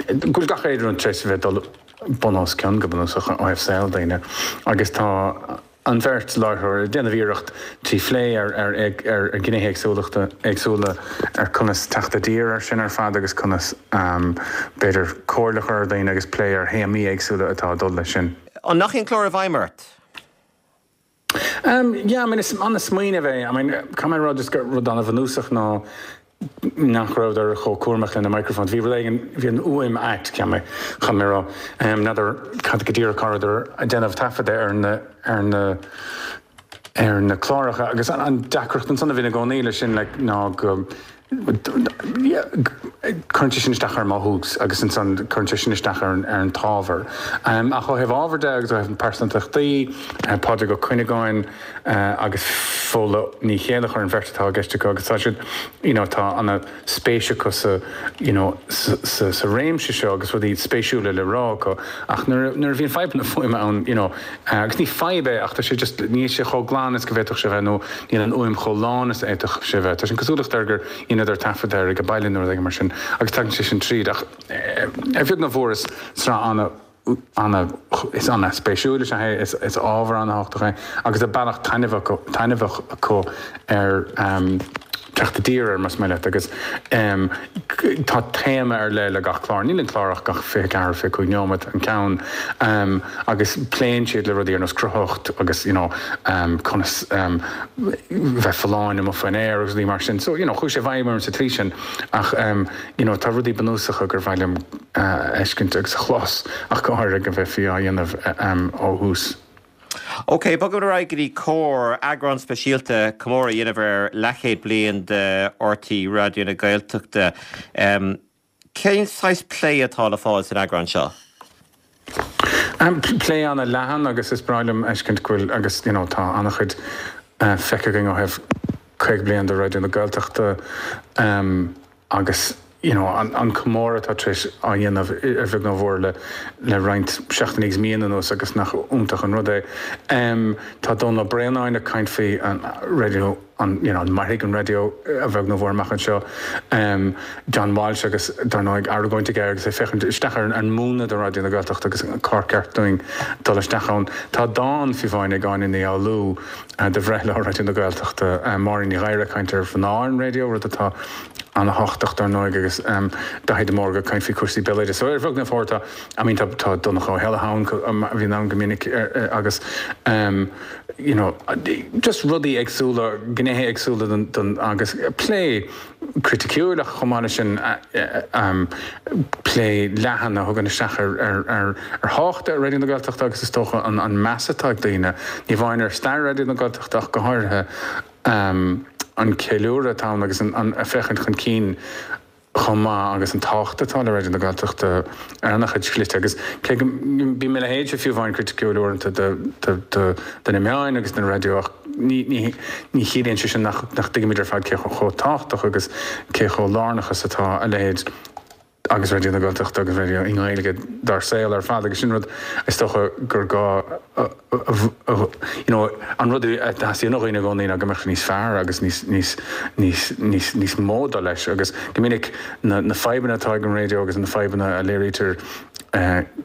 go bhfuil gach aon rud tar éis a bheith dul. bun os cionn go bunúsach ó thaobh saol daoine agus tá an bheirt láithreoir ag déanamh iarracht trí phlé ar ar ar ghnéithe éagsúlachta éagsúla ar conas teacht i dtír ar sin ar fad agus conas b'fhéidir comhairle a chur ar dhaoine agus plé ar théamaí éagsúla atá ag dul leis sin. An ndeachaigh an clár i bhfeidhm ort? Yeah, I mean, is an-smaoineamh é. I mean, caithfidh mé a rá just gur rud an-bhunúsach ná nach rabhadar chomh cúramach lena microphones. Bhí rud éigin, bhí an fhuaim ait, cheap mé, caithfidh mé a rá. N'fheadar cad go díreach cá rabhadar ag déanamh taifeadadh ar na, ar na, ar na cláracha agus an deacracht ansan a bhíonn i gcónaí leis sin like ná go, Cuireann sé sin isteach ar mothú agus ansan cuireann sé sin isteach ar an t-ábhar. Ach ó thaobh ábhair de agus ó thaobh pearsantachtaí, Pádraig Ó Cuinneagáin agus Fódhla Ní Chéilleachair an bheirt atá i gceist acu agus tá siad, you know, tá ana spéis acu sa, you know, sa sa réimse seo agus rudaí spéisiúla le rá acu. Ach nuair nuair a bhíonn fadhbanna fuaime ann, you know, agus ní fadhb é ach tá sé just, níl sé chomh glan is go bhféadfadh sé bheith nó níl an fhuaim chomh lán is a fhéadfadh sé bheith. Tá sé an cosúlacht air gur dheineadar taifead air ag baile nó rud éigin mar sin agus tagann sé sin tríd ach ar bheag nó mhór is sraith ana, ana, is ana spéisiúil is ea é, is, is ábhar ana thábhachtach é agus tá bealach taitneamhach, taitneamhach acu ar teacht i dtír air más maith leat agus tá téama ar leith le gach clár. Níl an clár ach gach 24, 25 neomat an ceann agus pléann siad le rudaí ar nós cruthaitheacht agus you know conas bheith folláin amuigh faoin aer agus rudaí mar sin. So you know chuaigh sé i bhfeidhm orm sa tslí sin ach you know tá rudaí bunúsacha gur mhaith liom a fheiscint agus a chlos ach go háirithe go mbeifí á dhéanamh ó thús. Ok, bogaimid ar aghaidh go dtí Comhar, eagrán speisialta, comóradh a dhéanamh ar leathchéad bliain de RTÉ Raidió na Gaeltachta. Cén saghas plé atá le fáil san eagrán seo? Plé ana-leathan agus is breá liom fheiscint go bhfuil agus you know tá ana-chuid feicthe againn ó thaobh 50 bliain de Raidió na Gaeltachta. Agus you know an comóradh atá tar éis á dhéanamh ar bheag nó mhór le le roinnt seachtainí agus míonna anuas agus nach iontach an rud é. Tá Dónall Ó Braonáin ag caint faoi an raidió an you know an mairfidh an raidió a bheag nó mhór amach anseo. John Walsh agus dar ndóigh argóint aige agus é ag féachaint isteach ar an múnla de Raidió na Gaeltachta agus cár ceart dúinn dul isteach ann. Tá dán fiú amháin ag Áine Ní Fhoghlú do bhreithlá Raidió na Gaeltachta, Máirín Ní Ghadhra ag caint ar mhná ar an raidió, rud atá ana-thábhachtach dar ndóigh agus Daithí de Mórdha ag caint faoi chúrsaí béaloidis. So ar bheag nó mhór tá, I mean tá tá Donncha Ó hÉallaithe ann a bhíonn ann go minic agus you know just rudaí éagsúla, gnéithe éagsúla den den agus plé criticiúil ach chomh maith leis sin plé leathan a thugann isteach ar ar ar ar thábhacht Raidió na Gaeltachta agus is dócha an an meas atá ag daoine, ní amháin ar stair Raidió na Gaeltachta ach go háirithe an ceiliúradh atá ann agus an féachaint chun cinn chomh maith agus an tábhacht atá le Raidió na Gaeltachta ar an-chuid slite agus cé go mbíonn mo leithéidse fiú amháin criticiúil uaireanta de na meáin agus den raidió ach ní chiallaíonn sé sin nach dtuigimid ar fad cé chomh tábhachtach agus cé chomh lárnach is atá a leithéid agus Raidió na Gaeltachta agus raidió i nGaeilge dár saol ar fad agus sin rud is dócha gur gá you know an rud a theastaíonn ó dhaoine i gcónaí ná go mbeadh sé níos fearr agus níos níos níos níos níos mó dul leis agus go minic na na fadhbanna atá ag an raidió agus na fadhbanna a léirítear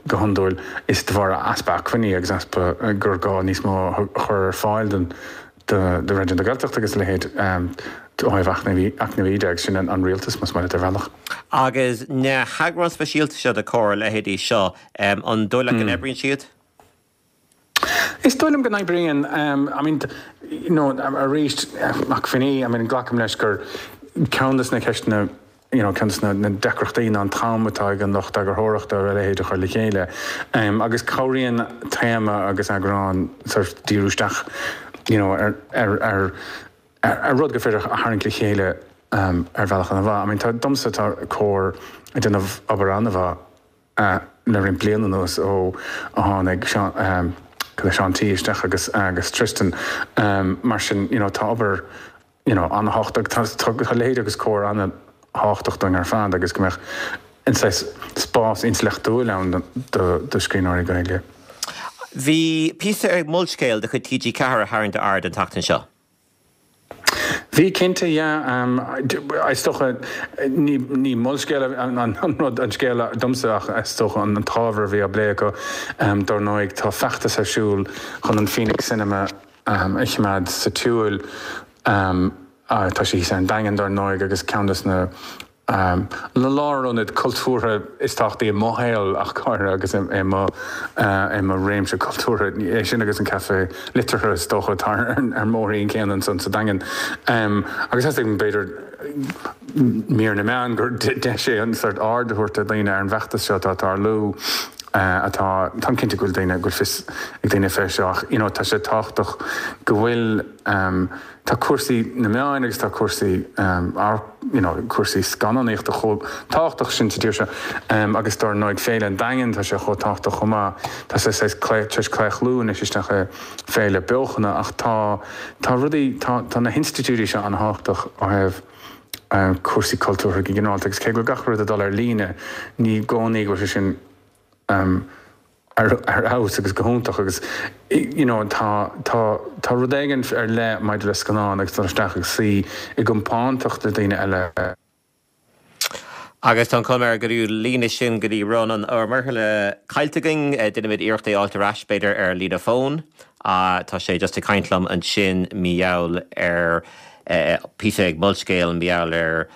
go hiondúil is de bharr easpa acmhainní agus easpa gur gá níos mó a chur ar fáil don do Raidió na Gaeltachta agus a leithéid ó thaobh eacnamaí de agus sin an rialtas más maith leat ar bhealach. Agus na heagráin speisialta seo de Comhar, a leithéidí seo, an dóigh leat go n-oibríonn siad? Is dóigh liom go n-oibríonn. I mean, you know, arís, acmhainní, I mean, glacaim leis gur ceann de na ceisteanna you know, ceann de na deacrachtaí ná an t-am atá ag an lucht eagarthóireachta ar a leithéid a chur le chéile. Agus cabhraíonn téama agus eagrán sort díriú isteach you know, ar, ar, ar, ar rud gur féidir a tharraingt le chéile ar bhealach an-mhaith. I mean, tá, domsa tá Comhar ag déanamh obair an-mhaith le roinnt bliain anuas ó a tháinig Seán, Seán T isteach agus, agus Tristan. Mar sin, you know, tá obair you know, an-thábhachtach. Tá, tá a leithéid agus Comhar an-thábhachtach dúinn ar fad agus go mbeadh an saghas spás intleachtúil ann do, do scríbhneoirí Gaeilge. Bhí píosa ar Molscéal de chuid TG4 a tharraing d'aird an tseachtain seo. Bhí cinnte, yeah. Is dócha, ní ní Molscéal an rud, an scéal domsa ach is dócha an t-ábhar a bhí á bplé acu. Dár ndóigh tá feachtas ar siúl chun an Phoenix Cinema a choimeád sa tsiúl. Tá sé thíos ar an Daingean dár ndóigh agus ceann des na na lárionaid cultúrtha is tábhachtaí i mo shaol ach go háirithe agus i mo i mo réimse cultúrtha. É sin agus an Café Liteartha is dócha atá ar an mbóithrín céanna ansan sa Daingean. Agus theastaigh b'fhéidir mír na meán gur deis é an sórt aird a thabhairt do dhaoine ar an bhfeachtas seo atá ag tarlú atá, táim cinnte go bhfuil daoine, go bhfuil fios ag daoine fé seo ach you know tá sé tábhachtach go bhfuil Tá cúrsaí na meáin agus tá cúrsaí you know cúrsaí scannánaíochta chomh tábhachtach sin sa tír seo agus dár ndóigh Féile an Daingin tá sé chomh tábhachtach chomh maith. Tá sé saghas tar éis claochlú anois isteach i féile beochana ach tá tá rudaí tá tá na hinstitiúidí seo an-thábhachtach ó thaobh cúrsaí cultúrtha go ginearálta agus cé go bhfuil gach rud ag dul ar líne ní i gcónaí go bhfuil sé sin ar fheabhas agus go hiontach agus you know tá tá tá rud éigin ar leith maidir le scannán agus dul isteach agus suí i gcompántacht le daoine eile. Agus tá an chuma air go raibh an líne sin go dtí Rónán Ó Muirthile caillte againn. Déanfaimid iarracht é a fháilt ar ais, b'fhéidir, ar líne fóin. Tá sé just ag caint liom ansin mar gheall ar píosa ag Molscéal mar gheall ar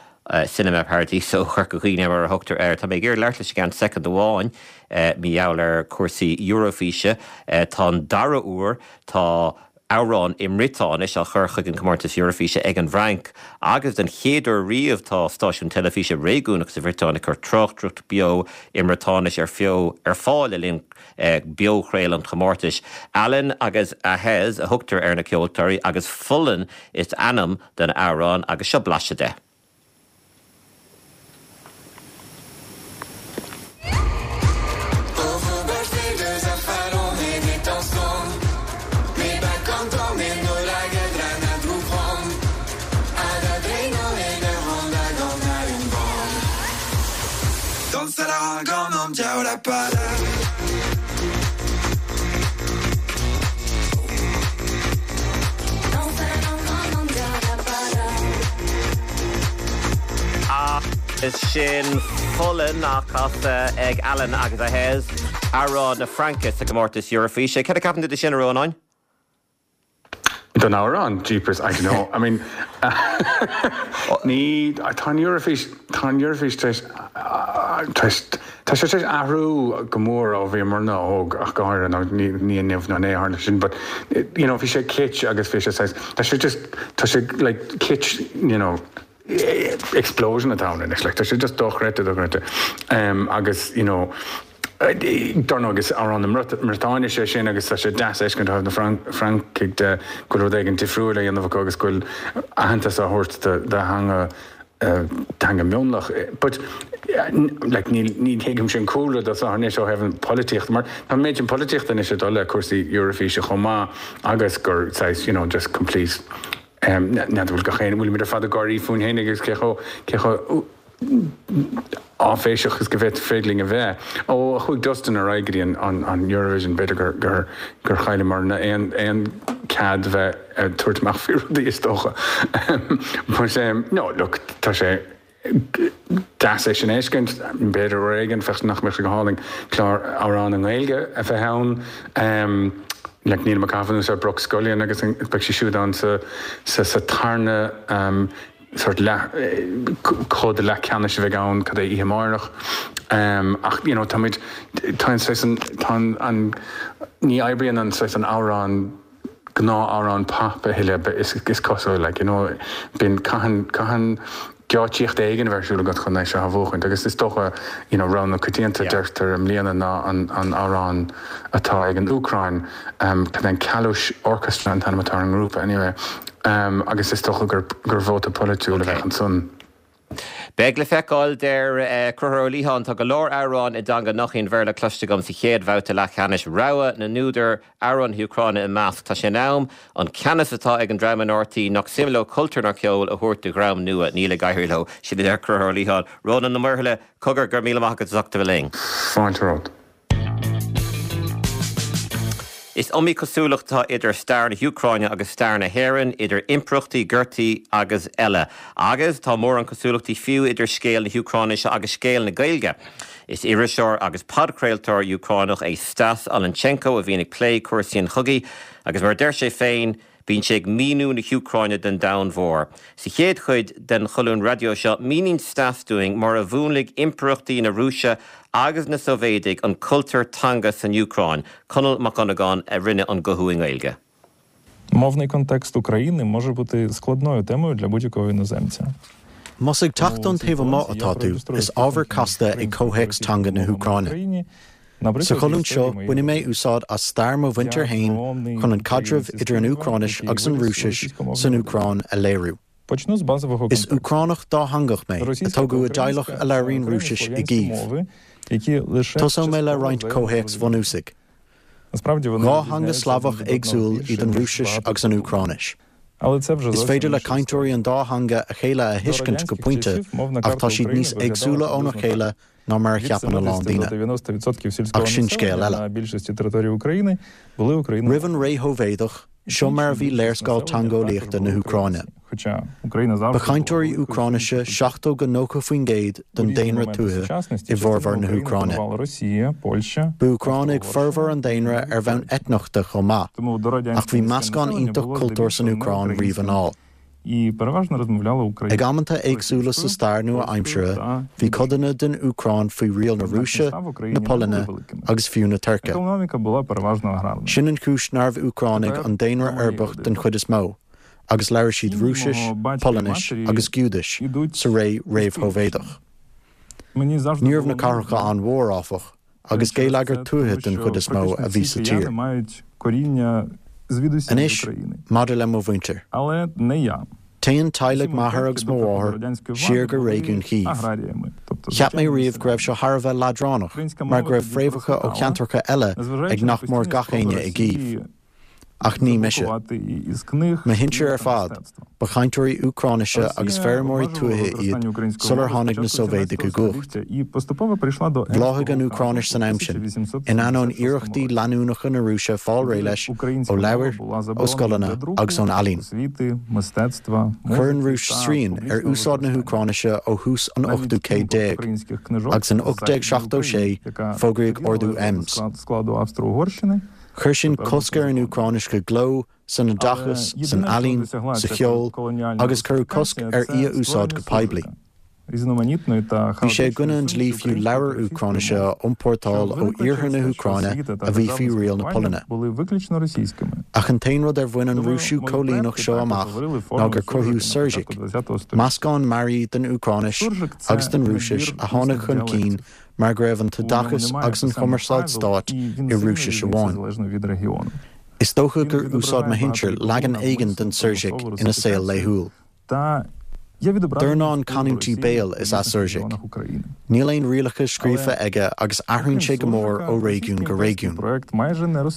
Cinema Paradiso Chorca Dhuibhne mar a thugtar air. Tá mé ag iarraidh labhairt leis i gceann soicind amháin mar gheall ar chúrsaí Eurofíse. Tá an dara huair tá amhrán i mBriotáinis á chur chuig an chomórtas Eurofíse ag an bhFrainc agus den chéad uair riamh tá stáisiún teilifíse réigiúnach sa Bhriotáin ag cur tráchtaireacht beo i mBriotáinis ar feo ar fáil le linn beochraoladh an chomórtais. Alan agus Ahez a thugtar ar na ceoltóirí agus Fulann is ainm don amhrán agus seo blaiseadh de. Agus sin Fulann á casadh ag Alan agus Ahez, amhrán na Fraince sa gcomórtas Eurofíse. Céard a cheapann tú de sin, a Rónáin? Don amhrán? Jeepers, I don't know. I mean, ní, tá an Eurofís, tá an Eurofís tar éis, tar éis, tá sé tar éis athrú go mór ó bhíomarna óg ach go háirithe, nó ní, ní inniu nó inné a tharla sin, but, you know, bhí sé kitsch agus bhí sé saghas, tá sé just, tá sé like kitsch, you know, explosion atá ann anois, like, tá sé just dochreidte, dochreidte. Agus, you know, dar ndóigh is amhrán na mBriotáinise é sin agus tá sé deas a fheiscint ó thaobh na Francaigh de go bhfuil rud éigin difriúil á dhéanamh acu agus go bhfuil aitheantas á thabhairt do theanga teanga mionlach. But, like, ní ní thuigimse an cúlra dó seo anois ó thaobh an polaitíochta mar tá an méid sin polaitíochta anois ag dul le cúrsaí Eurofíse chomh maith agus gur saghas, you know, just complete N'fheadar bhfuil gach aon, bhfuilimid ar fad ag gáirí fúinn féin agus cé chomh, cé chomh áiféiseach is go bhféadfadh linn a bheith. Ó chuaigh Dustin ar aghaidh go dtí an, an, an Eurovision b'fhéidir gur, gur, gur chailleamarna aon, aon cead bheith ag tabhairt amach faoi rudaí is dócha. But, no, look, tá sé, deas é sin a fheiscint. B'fhéidir uair éigin, bheadh, nach mbeadh sé go hálainn clár amhrán i nGaeilge a bheith ann. Like nílim ag caitheamh anuas ar Brooke Scullion agus beidh sí siúd ann sa, sa, sa tarna sort leath, cluiche leathcheannais a bheidh ann, cad é, oíche amárach. Ach you know táimid, tá an saghas an, tá an, an, ní oibríonn an saghas an amhrán, gnáth-amhrán pop a thuilleadh is cosúil like you know bíonn caitheann caitheann geáitsíocht éigin a bheith ar siúl agat chun é seo a bhuachaint agus is dócha you know rogha na coitianta deirtear i mbliana ná an an amhrán atá ag an Úcráin um cad é an Kalush Orchestra an t-ainm atá ar an ngrúpa anyway um agus is dócha gur gur vóta polaitiúil a bheadh ansan. Beidh le feiceáil, deir Conchúr Ó Liatháin. Tá go leor amhrán i dteanga nach í an Bhéarla cloiste agam sa chéad bhabhta leathcheannais. Rogha na n-údar, amhrán na hÚcráine ina measc. Tá sé in am an ceannas atá ag an dream in RTÉ nach suim leo cultúr ná ceol a thabhairt do dhream nua. Níl ag éirí leo. Sin a deir Conchúr Ó Liatháin. Rónán Ó Muirthile, cogar, go raibh míle maith agat as ucht a bheith linn. Fáilte romhat. Is iomaí cosúlacht atá idir stair na hÚcráine agus stair na hÉireann, idir impireachtaí, gortaí agus eile. Agus tá mórán cosúlachtaí fiú idir scéal na hÚcráinise agus scéal na Gaeilge. Is iriseoir agus podchraoltóir Úcránach é Stas Olenchenko a bhíonn ag plé cúrsaí an chogaidh agus mar a deir sé féin, Bíonn sé ag míniú na hÚcráine don domhan mhór. Sa chéad chuid den cholún raidió seo, míníonn Stas dúinn mar a mhúnlaigh impireachtaí na Rúise agus na Sóivéadaigh an cultúr teanga san Úcráin. Conall Mac Dhonnagáin a rinne an guthú i nGaeilge. Мовний контекст України може бути складною темою для будь-якого іноземця. Más ag teacht ón taobh amuigh atá tú, is ábhar casta é comhthéacs teanga na hÚcráine. Sa cholún seo, bainfidh mé úsáid as stair mo mhuintir féin chun an caidreamh idir an Úcráinis agus an Rúisis san Úcráin a léiriú. Is Úcránach dátheangach mé, a tógadh i dteaghlach a labhraíonn Rúisis i gCív. Tosóidh mé le roinnt comhthéacs bhunúsaigh. Dhá theanga Slavach éagsúil iad an Rúisis agus an Úcráinis. Is féidir le cainteoirí an dá theanga a chéile a thuiscint go pointe ach tá siad níos éagsúla óna chéile ná mar a cheapann a lán daoine. Ach sin scéal eile. Roimh an ré Shóivéadach, seo mar a bhí léarscáil teangeolaíochta na hÚcráine. Ba chainteoirí Úcráinise 70-90% den daonra tuaithe i bhformhór na hÚcráine. Ba Úcránaigh formhór an daonra ar bhonn eitneachta chomh maith, ach bhí meascán iontach cultúr san Úcráin riamh anall. Ag amanta éagsúla sa stair nua-aimseartha, bhí codanna den Úcráin faoi riail na Rúise, na Polainne agus fiú na Tuirce. Sin an chúis nárbh Úcránaigh an daonra uirbeach den chuid is mó, agus labhair siad Rúisis, Polainnis agus Giúdais sa ré réamh-Shóivéadach. Ní raibh na cathracha an-mhór, áfach, agus geilleagar tuaithe den chuid is mó a bhí sa tír. Anois, maidir le mo mhuintir. Téann teaghlaigh m'athar agus mo mháthar siar go réigiún Chív. Cheap mé riamh go raibh seo thar a bheith leadránach mar go raibh fréamhacha ó cheantracha eile ag nach mór gach éinne i gCív. Ach ní mise. Mo shinsir ar fad, ba chainteoirí Úcráinise agus feirmeoirí tuaithe iad sular tháinig na Sóivéadaigh i gcumhacht. Bhláthaigh an Úcráinis san am sin, in ainneoin iarrachtaí leanúnacha na Rúise fáil réidh leis ó leabhair, ó scoileanna agus ón ealaín. Chuir an Rúis srian ar úsáid na hÚcráinise ó thús an ochtú céad déag, agus in 1876 fógraíodh Ordú Ems. Chuir sin cosc ar an Úcráinis i gcló, san oideachas, san ealaín, sa cheol, agus cuireadh cosc ar í a úsáid go poiblí. Bhí sé i gcoinne an dlí fiú leabhair Úcráinise a iompórtáil ó iarthar na hÚcráine a bhí faoi riail na Polainne. Ach an t-aon rud ar bhain an Rúisiú coilíneach seo amach ná gur cruthaíodh surzhik, meascán mearaí den Úcráinis agus den Rúisis a tháinig chun cinn mar go raibh an t-oideachas agus an chumarsáid stáit i Rúisis amháin. Is dócha gur úsáid mo shinsir leagan éigin den surzhik ina saol laethúil. Dornán canúintí béil is ea surzhik. Níl aon rialacha scríofa aige agus athraíonn sé go mór ó réigiún go réigiún.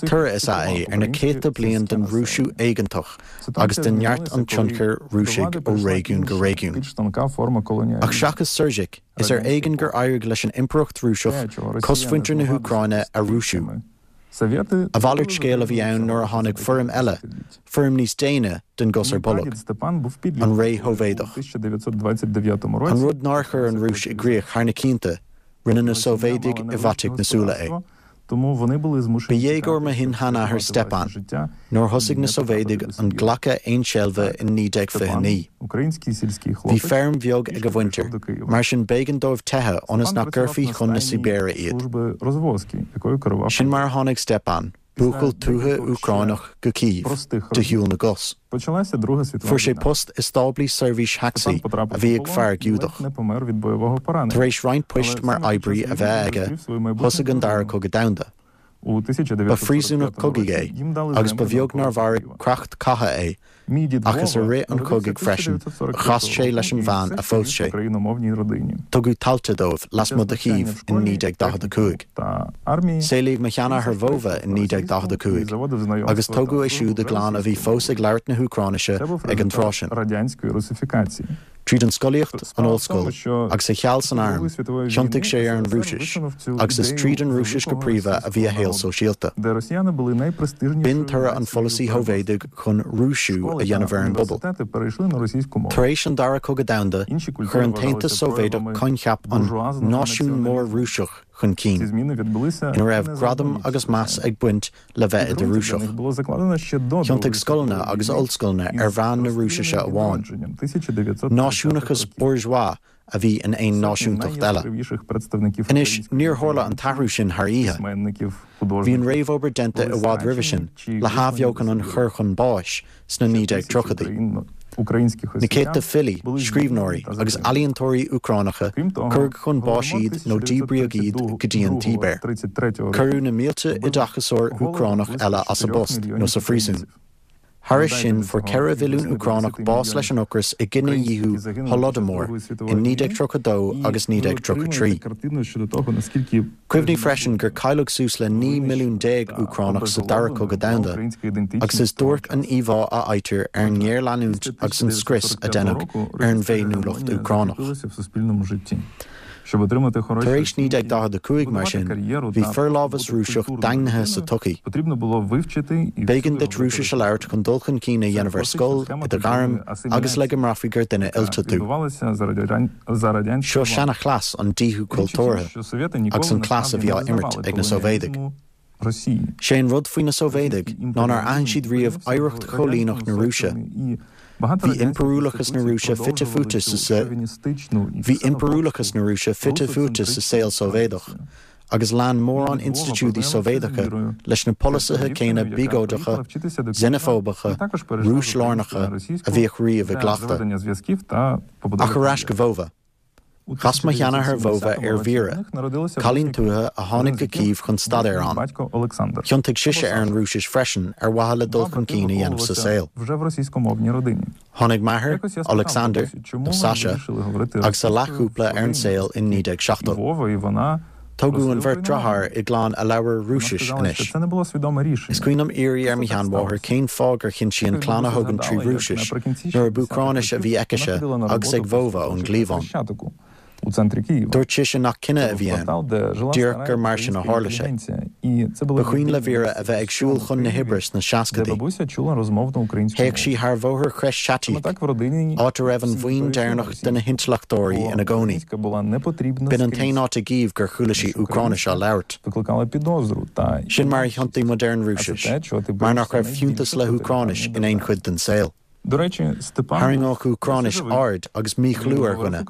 Toradh is ea é ar na céadta bliain den Rúisiú éigeantach agus de neart an tionchair Rúisigh ó réigiún go réigiún. Ach seachas surzhik, Is ar éigean gur éirigh leis an Impireacht Rúiseach cosmhuintir na hÚcráine a Rúisiú. A mhalairt scéil a bhí ann nuair a tháinig foirm eile, foirm níos déine, den gcos ar bolg, an ré Shóivéadach. An rud nár chuir an Rúis i gcrích thar na cianta, rinne na Sóivéadaigh i bhfaiteadh na súile é. Ba dhéagóir mo shin-sheanathair Stepan nuair thosaigh na Sóivéadaigh an glacadh aonseilbhe in 1929. Bhí feirm bheag ag a mhuintir, mar sin b'éigean dóibh teitheadh ionas nach gcuirfí chun na Sibéire iad. Sin mar a tháinig Stepan, buachaill tuaithe Úcránach, go Cív, de shiúl na gcos. Fuair sé post i stáblaí seirbhís tacsaí a bhí ag fear Giúdach. Tar éis roinnt poist mar oibrí a bheith aige, thosaigh an Dara Cogadh Domhanda. Ba phríosúnach cogaidh é agus ba bheag nár mharaigh creach catha é Ach is i rith an chogaidh freisin a chas sé leis an bhean a phós sé. Tugadh tailte dóibh lasmuigh de Chív in 1945. Saolaíodh mo sheanathair Vova in 1945 agus tógadh é siúd i gclann a bhí fós ag labhairt na hÚcráinise ag an tráth sin. Tríd an scolaíocht, an ollscoil, agus a sheal san arm, thiontaigh sé ar an Rúisis, agus is tríd an Rúisis go príomha a bhí a shaol sóisialta. B'in toradh an pholasaí Shóivéadaigh chun Rúisiú a dhéanamh ar an bpobal. Tar éis an Dara Cogadh Domhanda, chuir an tAontas Sóivéadach coincheap an náisiún mór Rúiseach chun cinn, ina raibh gradam agus meas ag baint le bheith i do Rúiseach. Thiontaigh scoileanna agus ollscoileanna ar mheán na Rúisise amháin. Náisiúnachas bourgeois a bhí in aon náisiúntacht eile. Anois, níor tharla an t-athrú sin thar oíche. Bhí an réamhobair déanta i bhfad roimhe sin le hathbheochan an chur chun báis sna 1930idí. Na céadta filí, scríbhneoirí agus ealaíontóirí Úcránacha, cuireadh chun báis iad nó díbríodh iad go dtí an tSibéir. Cuireadh na mílte oideachasóir Úcránach eile as a bpost nó sa phríosún. Thairis sin, fuair 4 mhilliún Úcránach bás leis an ocras i gcinedhíothú Holodomor in 1932 agus 1933. Cuimhnigh freisin gur cailleadh suas le 19 milliún Úcránach sa Dara Cogadh Domhanda, agus is duairc an íomhá a fhaightear ar an ngéarleanúint agus an scrios a deineadh ar an bhféiniúlacht Úcránach. Tar éis 1945, mar sin, bhí forlámhas Rúiseach daingnithe sa tsochaí. B'éigean duit Rúisis a labhairt chun dul chun cinn a dhéanamh ar scoil, i do ghairm, agus le go mbraithfí gur duine oilte tú. Seo seana-chleas an díothú cultúrtha, agus an cleas a bhí á imirt ag na Sóivéadaigh. Sé an rud faoi na Sóivéadaigh ná nár aithin siad riamh oidhreacht choilíneach na Rúise. Bhí impiriúlachas na Rúise fite fuaite sa Bhí impiriúlachas na Rúise fite fuaite sa saol Sóivéadach, agus lean mórán institiúidí Sóivéadacha leis na polasaithe céanna biogóideacha, xeineafóbacha, Rúis-lárnacha a bhíodh riamh i gcleachtadh. Ach ar ais go Vova. Chas mo sheanathair Vova ar Vera, cailín tuaithe a tháinig go Cív chun staidéir ann. Thiontaigh sise ar an Rúisis freisin ar mhaithe le dul chun cinn a dhéanamh sa saol. Tháinig m'athair, Oleksandr, nó Sasha, agus a leathchúpla ar an saol in 1970. Tógadh an bheirt deartháir i gclann a labhair Rúisis anois. Is cuimhin liom iarraidh ar mo sheanmháthair cén fáth gur chinn sí an clann a thógaint trí Rúisis nuair ab Úcráinis a bhí aicise agus ag Vova ón gcliabhán. Dúirt sise nach cinneadh a bhí ann, díreach gur mar sin a tharla sé. Ba chuimhin le Vera a bheith ag siúl chun na hoibre sna seascaidí. Théadh sí thar bhóthar Khreshchatyk, áit a raibh an bhuíon deireanach de na hintleachtóirí ina gcónaí. B'in an t-aon áit i gCív gur chuala sí Úcráinis á labhairt. Sin mar a thiontaigh muid ar an Rúisis, mar nach raibh fiúntas le hÚcráinis in aon chuid den saol. Tharraingeodh Úcráinis aird agus míchlú ar dhuine,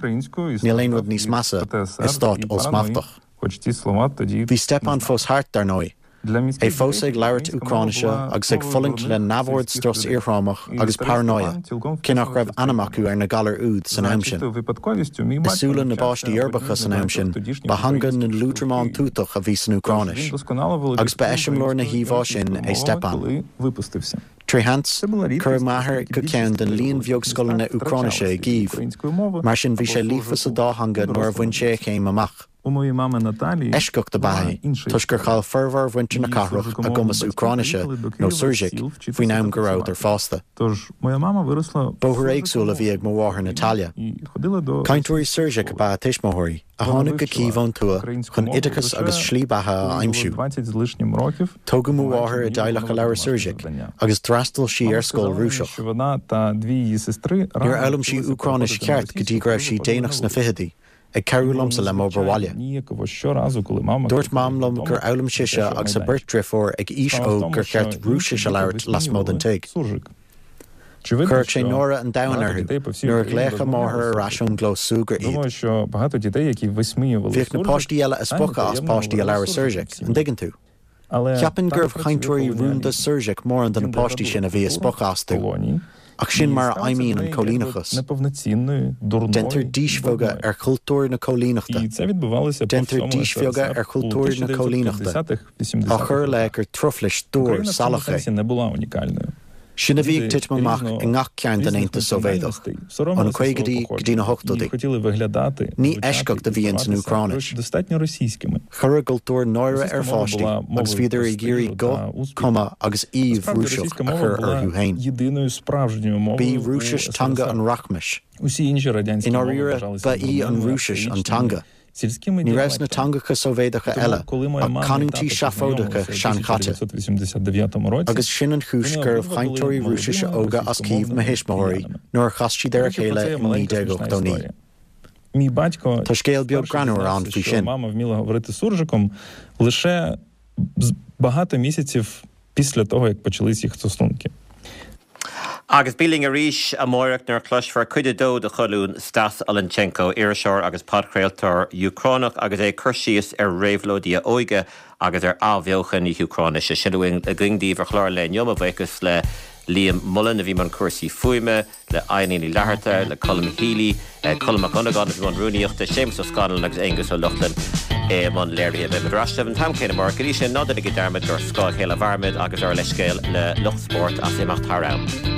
níl aon rud níos measa i stát ollsmachtach. Bhí Stepan fós thart, dar ndóigh. É fós ag labhairt Úcráinise agus ag fulaingt le neamhord strus iarthrámach agus paranóia, cé nach raibh ainm acu ar na galair úd san am sin. I súile na bpáistí uirbeacha san am sin, ba theanga na liúdramán tútach a bhí san Úcráinis, agus ba eiseamláir na híomhá sin é Stepan. Tré sheans, cuireadh m'athair go ceann den líon bheag scoileanna Úcráinise i gCív, mar sin bhí sé líofa sa dá theanga nuair a bhain sé a chéim amach. Eisceacht ab ea é, toisc gur chaill formhór mhuintir na cathrach a gcumas Úcráinise nó Surzhyk faoin am go rabhadar fásta. Bóthar éagsúil a bhí ag mo mháthair Natalia. Cainteoirí Surzhyk ab ea a tuismitheoirí, a tháinig go Cív ón tuath chun oideachas agus slí beatha a aimsiú. Tógadh mo mháthair i dteaghlach a labhair Surzhyk agus d'fhreastail sí ar scoil Rúiseach. Níor fhoghlaim sí Úcráinis cheart go dtí go raibh sí déanach sna fichidí, ag cabhrú liomsa le m'obair bhaile. Dúirt Mam liom gur fhoghlaim sise agus a beirt driofúr ag aois óg gur cheart Rúisis a labhairt lasmuigh den tigh. Chuirfeadh sé náire an domhain orthu nuair a ghlaofadh a máthair ar ais ón gclós súgartha iad. Bhíodh na páistí eile a spochadh as páistí a labhair Surzhyk, an dtuigeann tú? Cheapfainn gurbh chainteoirí rúnda Surzhyk mórán de na páistí sin a bhí ag spochadh astu. Ach sin mar a fheidhmíonn an coilíneachas. Déantar dísbheagadh ar chultúr na coilíneachta. Déantar dísbheagadh ar chultúr na coilíneachta, á chur i leith gur truflais dúr salach é. Sin a bhí ag titim amach i ngach cearn den Aontas Sóivéadach, ó na caogaidí go dtí na hochtóidí. Ní eisceacht a bhí ins an Úcráinis. Chuir a gcultúr náire ar pháistí agus bhíodar ag iarraidh guth, cuma agus aoibh Rúiseach a chur orthu féin. B'í Rúisis teanga an rachmais. I ndáiríre, ba í an Rúisis an teanga. Ní raibh sna teangacha Sóivéadacha eile ach canúintí seafóideacha seanchaite. Agus sin an chúis gurbh chainteoirí Rúisise óga as Cív mo thuismitheoirí nuair a chas siad ar a chéile in 1989. Tá scéal beag greannmhar ann faoi sin. Agus bí linn arís amáireach nuair a chloisfear cuid a dó de cholún Stas Olenchenko, iriseoir agus podchraoltóir Úcránach agus é ag cur síos ar réabhlóidí a óige agus ar athbheochan na hÚcráinise. Sin a bhfuil againn daoibh ar chlár an lae inniu. Mo bhuíochas le Liam Mullen a bhí i mbun cúrsaí fuaime, le Eileen Ní Fhlatharta, le Colm Healy, Colm Mac Dhonnagáin a bhí i mbun rúnaíochta, Séamus Ó Scanláin agus Aengus Ó Lochlainn i mbun léirithe. Beidh muid ar ais libh an t-am céanna amárach. Go dtí sin, ná déanaigí dearmad gur ar scáth a chéile a mhairimid agus ár leithscéal le lucht spóirt as imeacht thar am.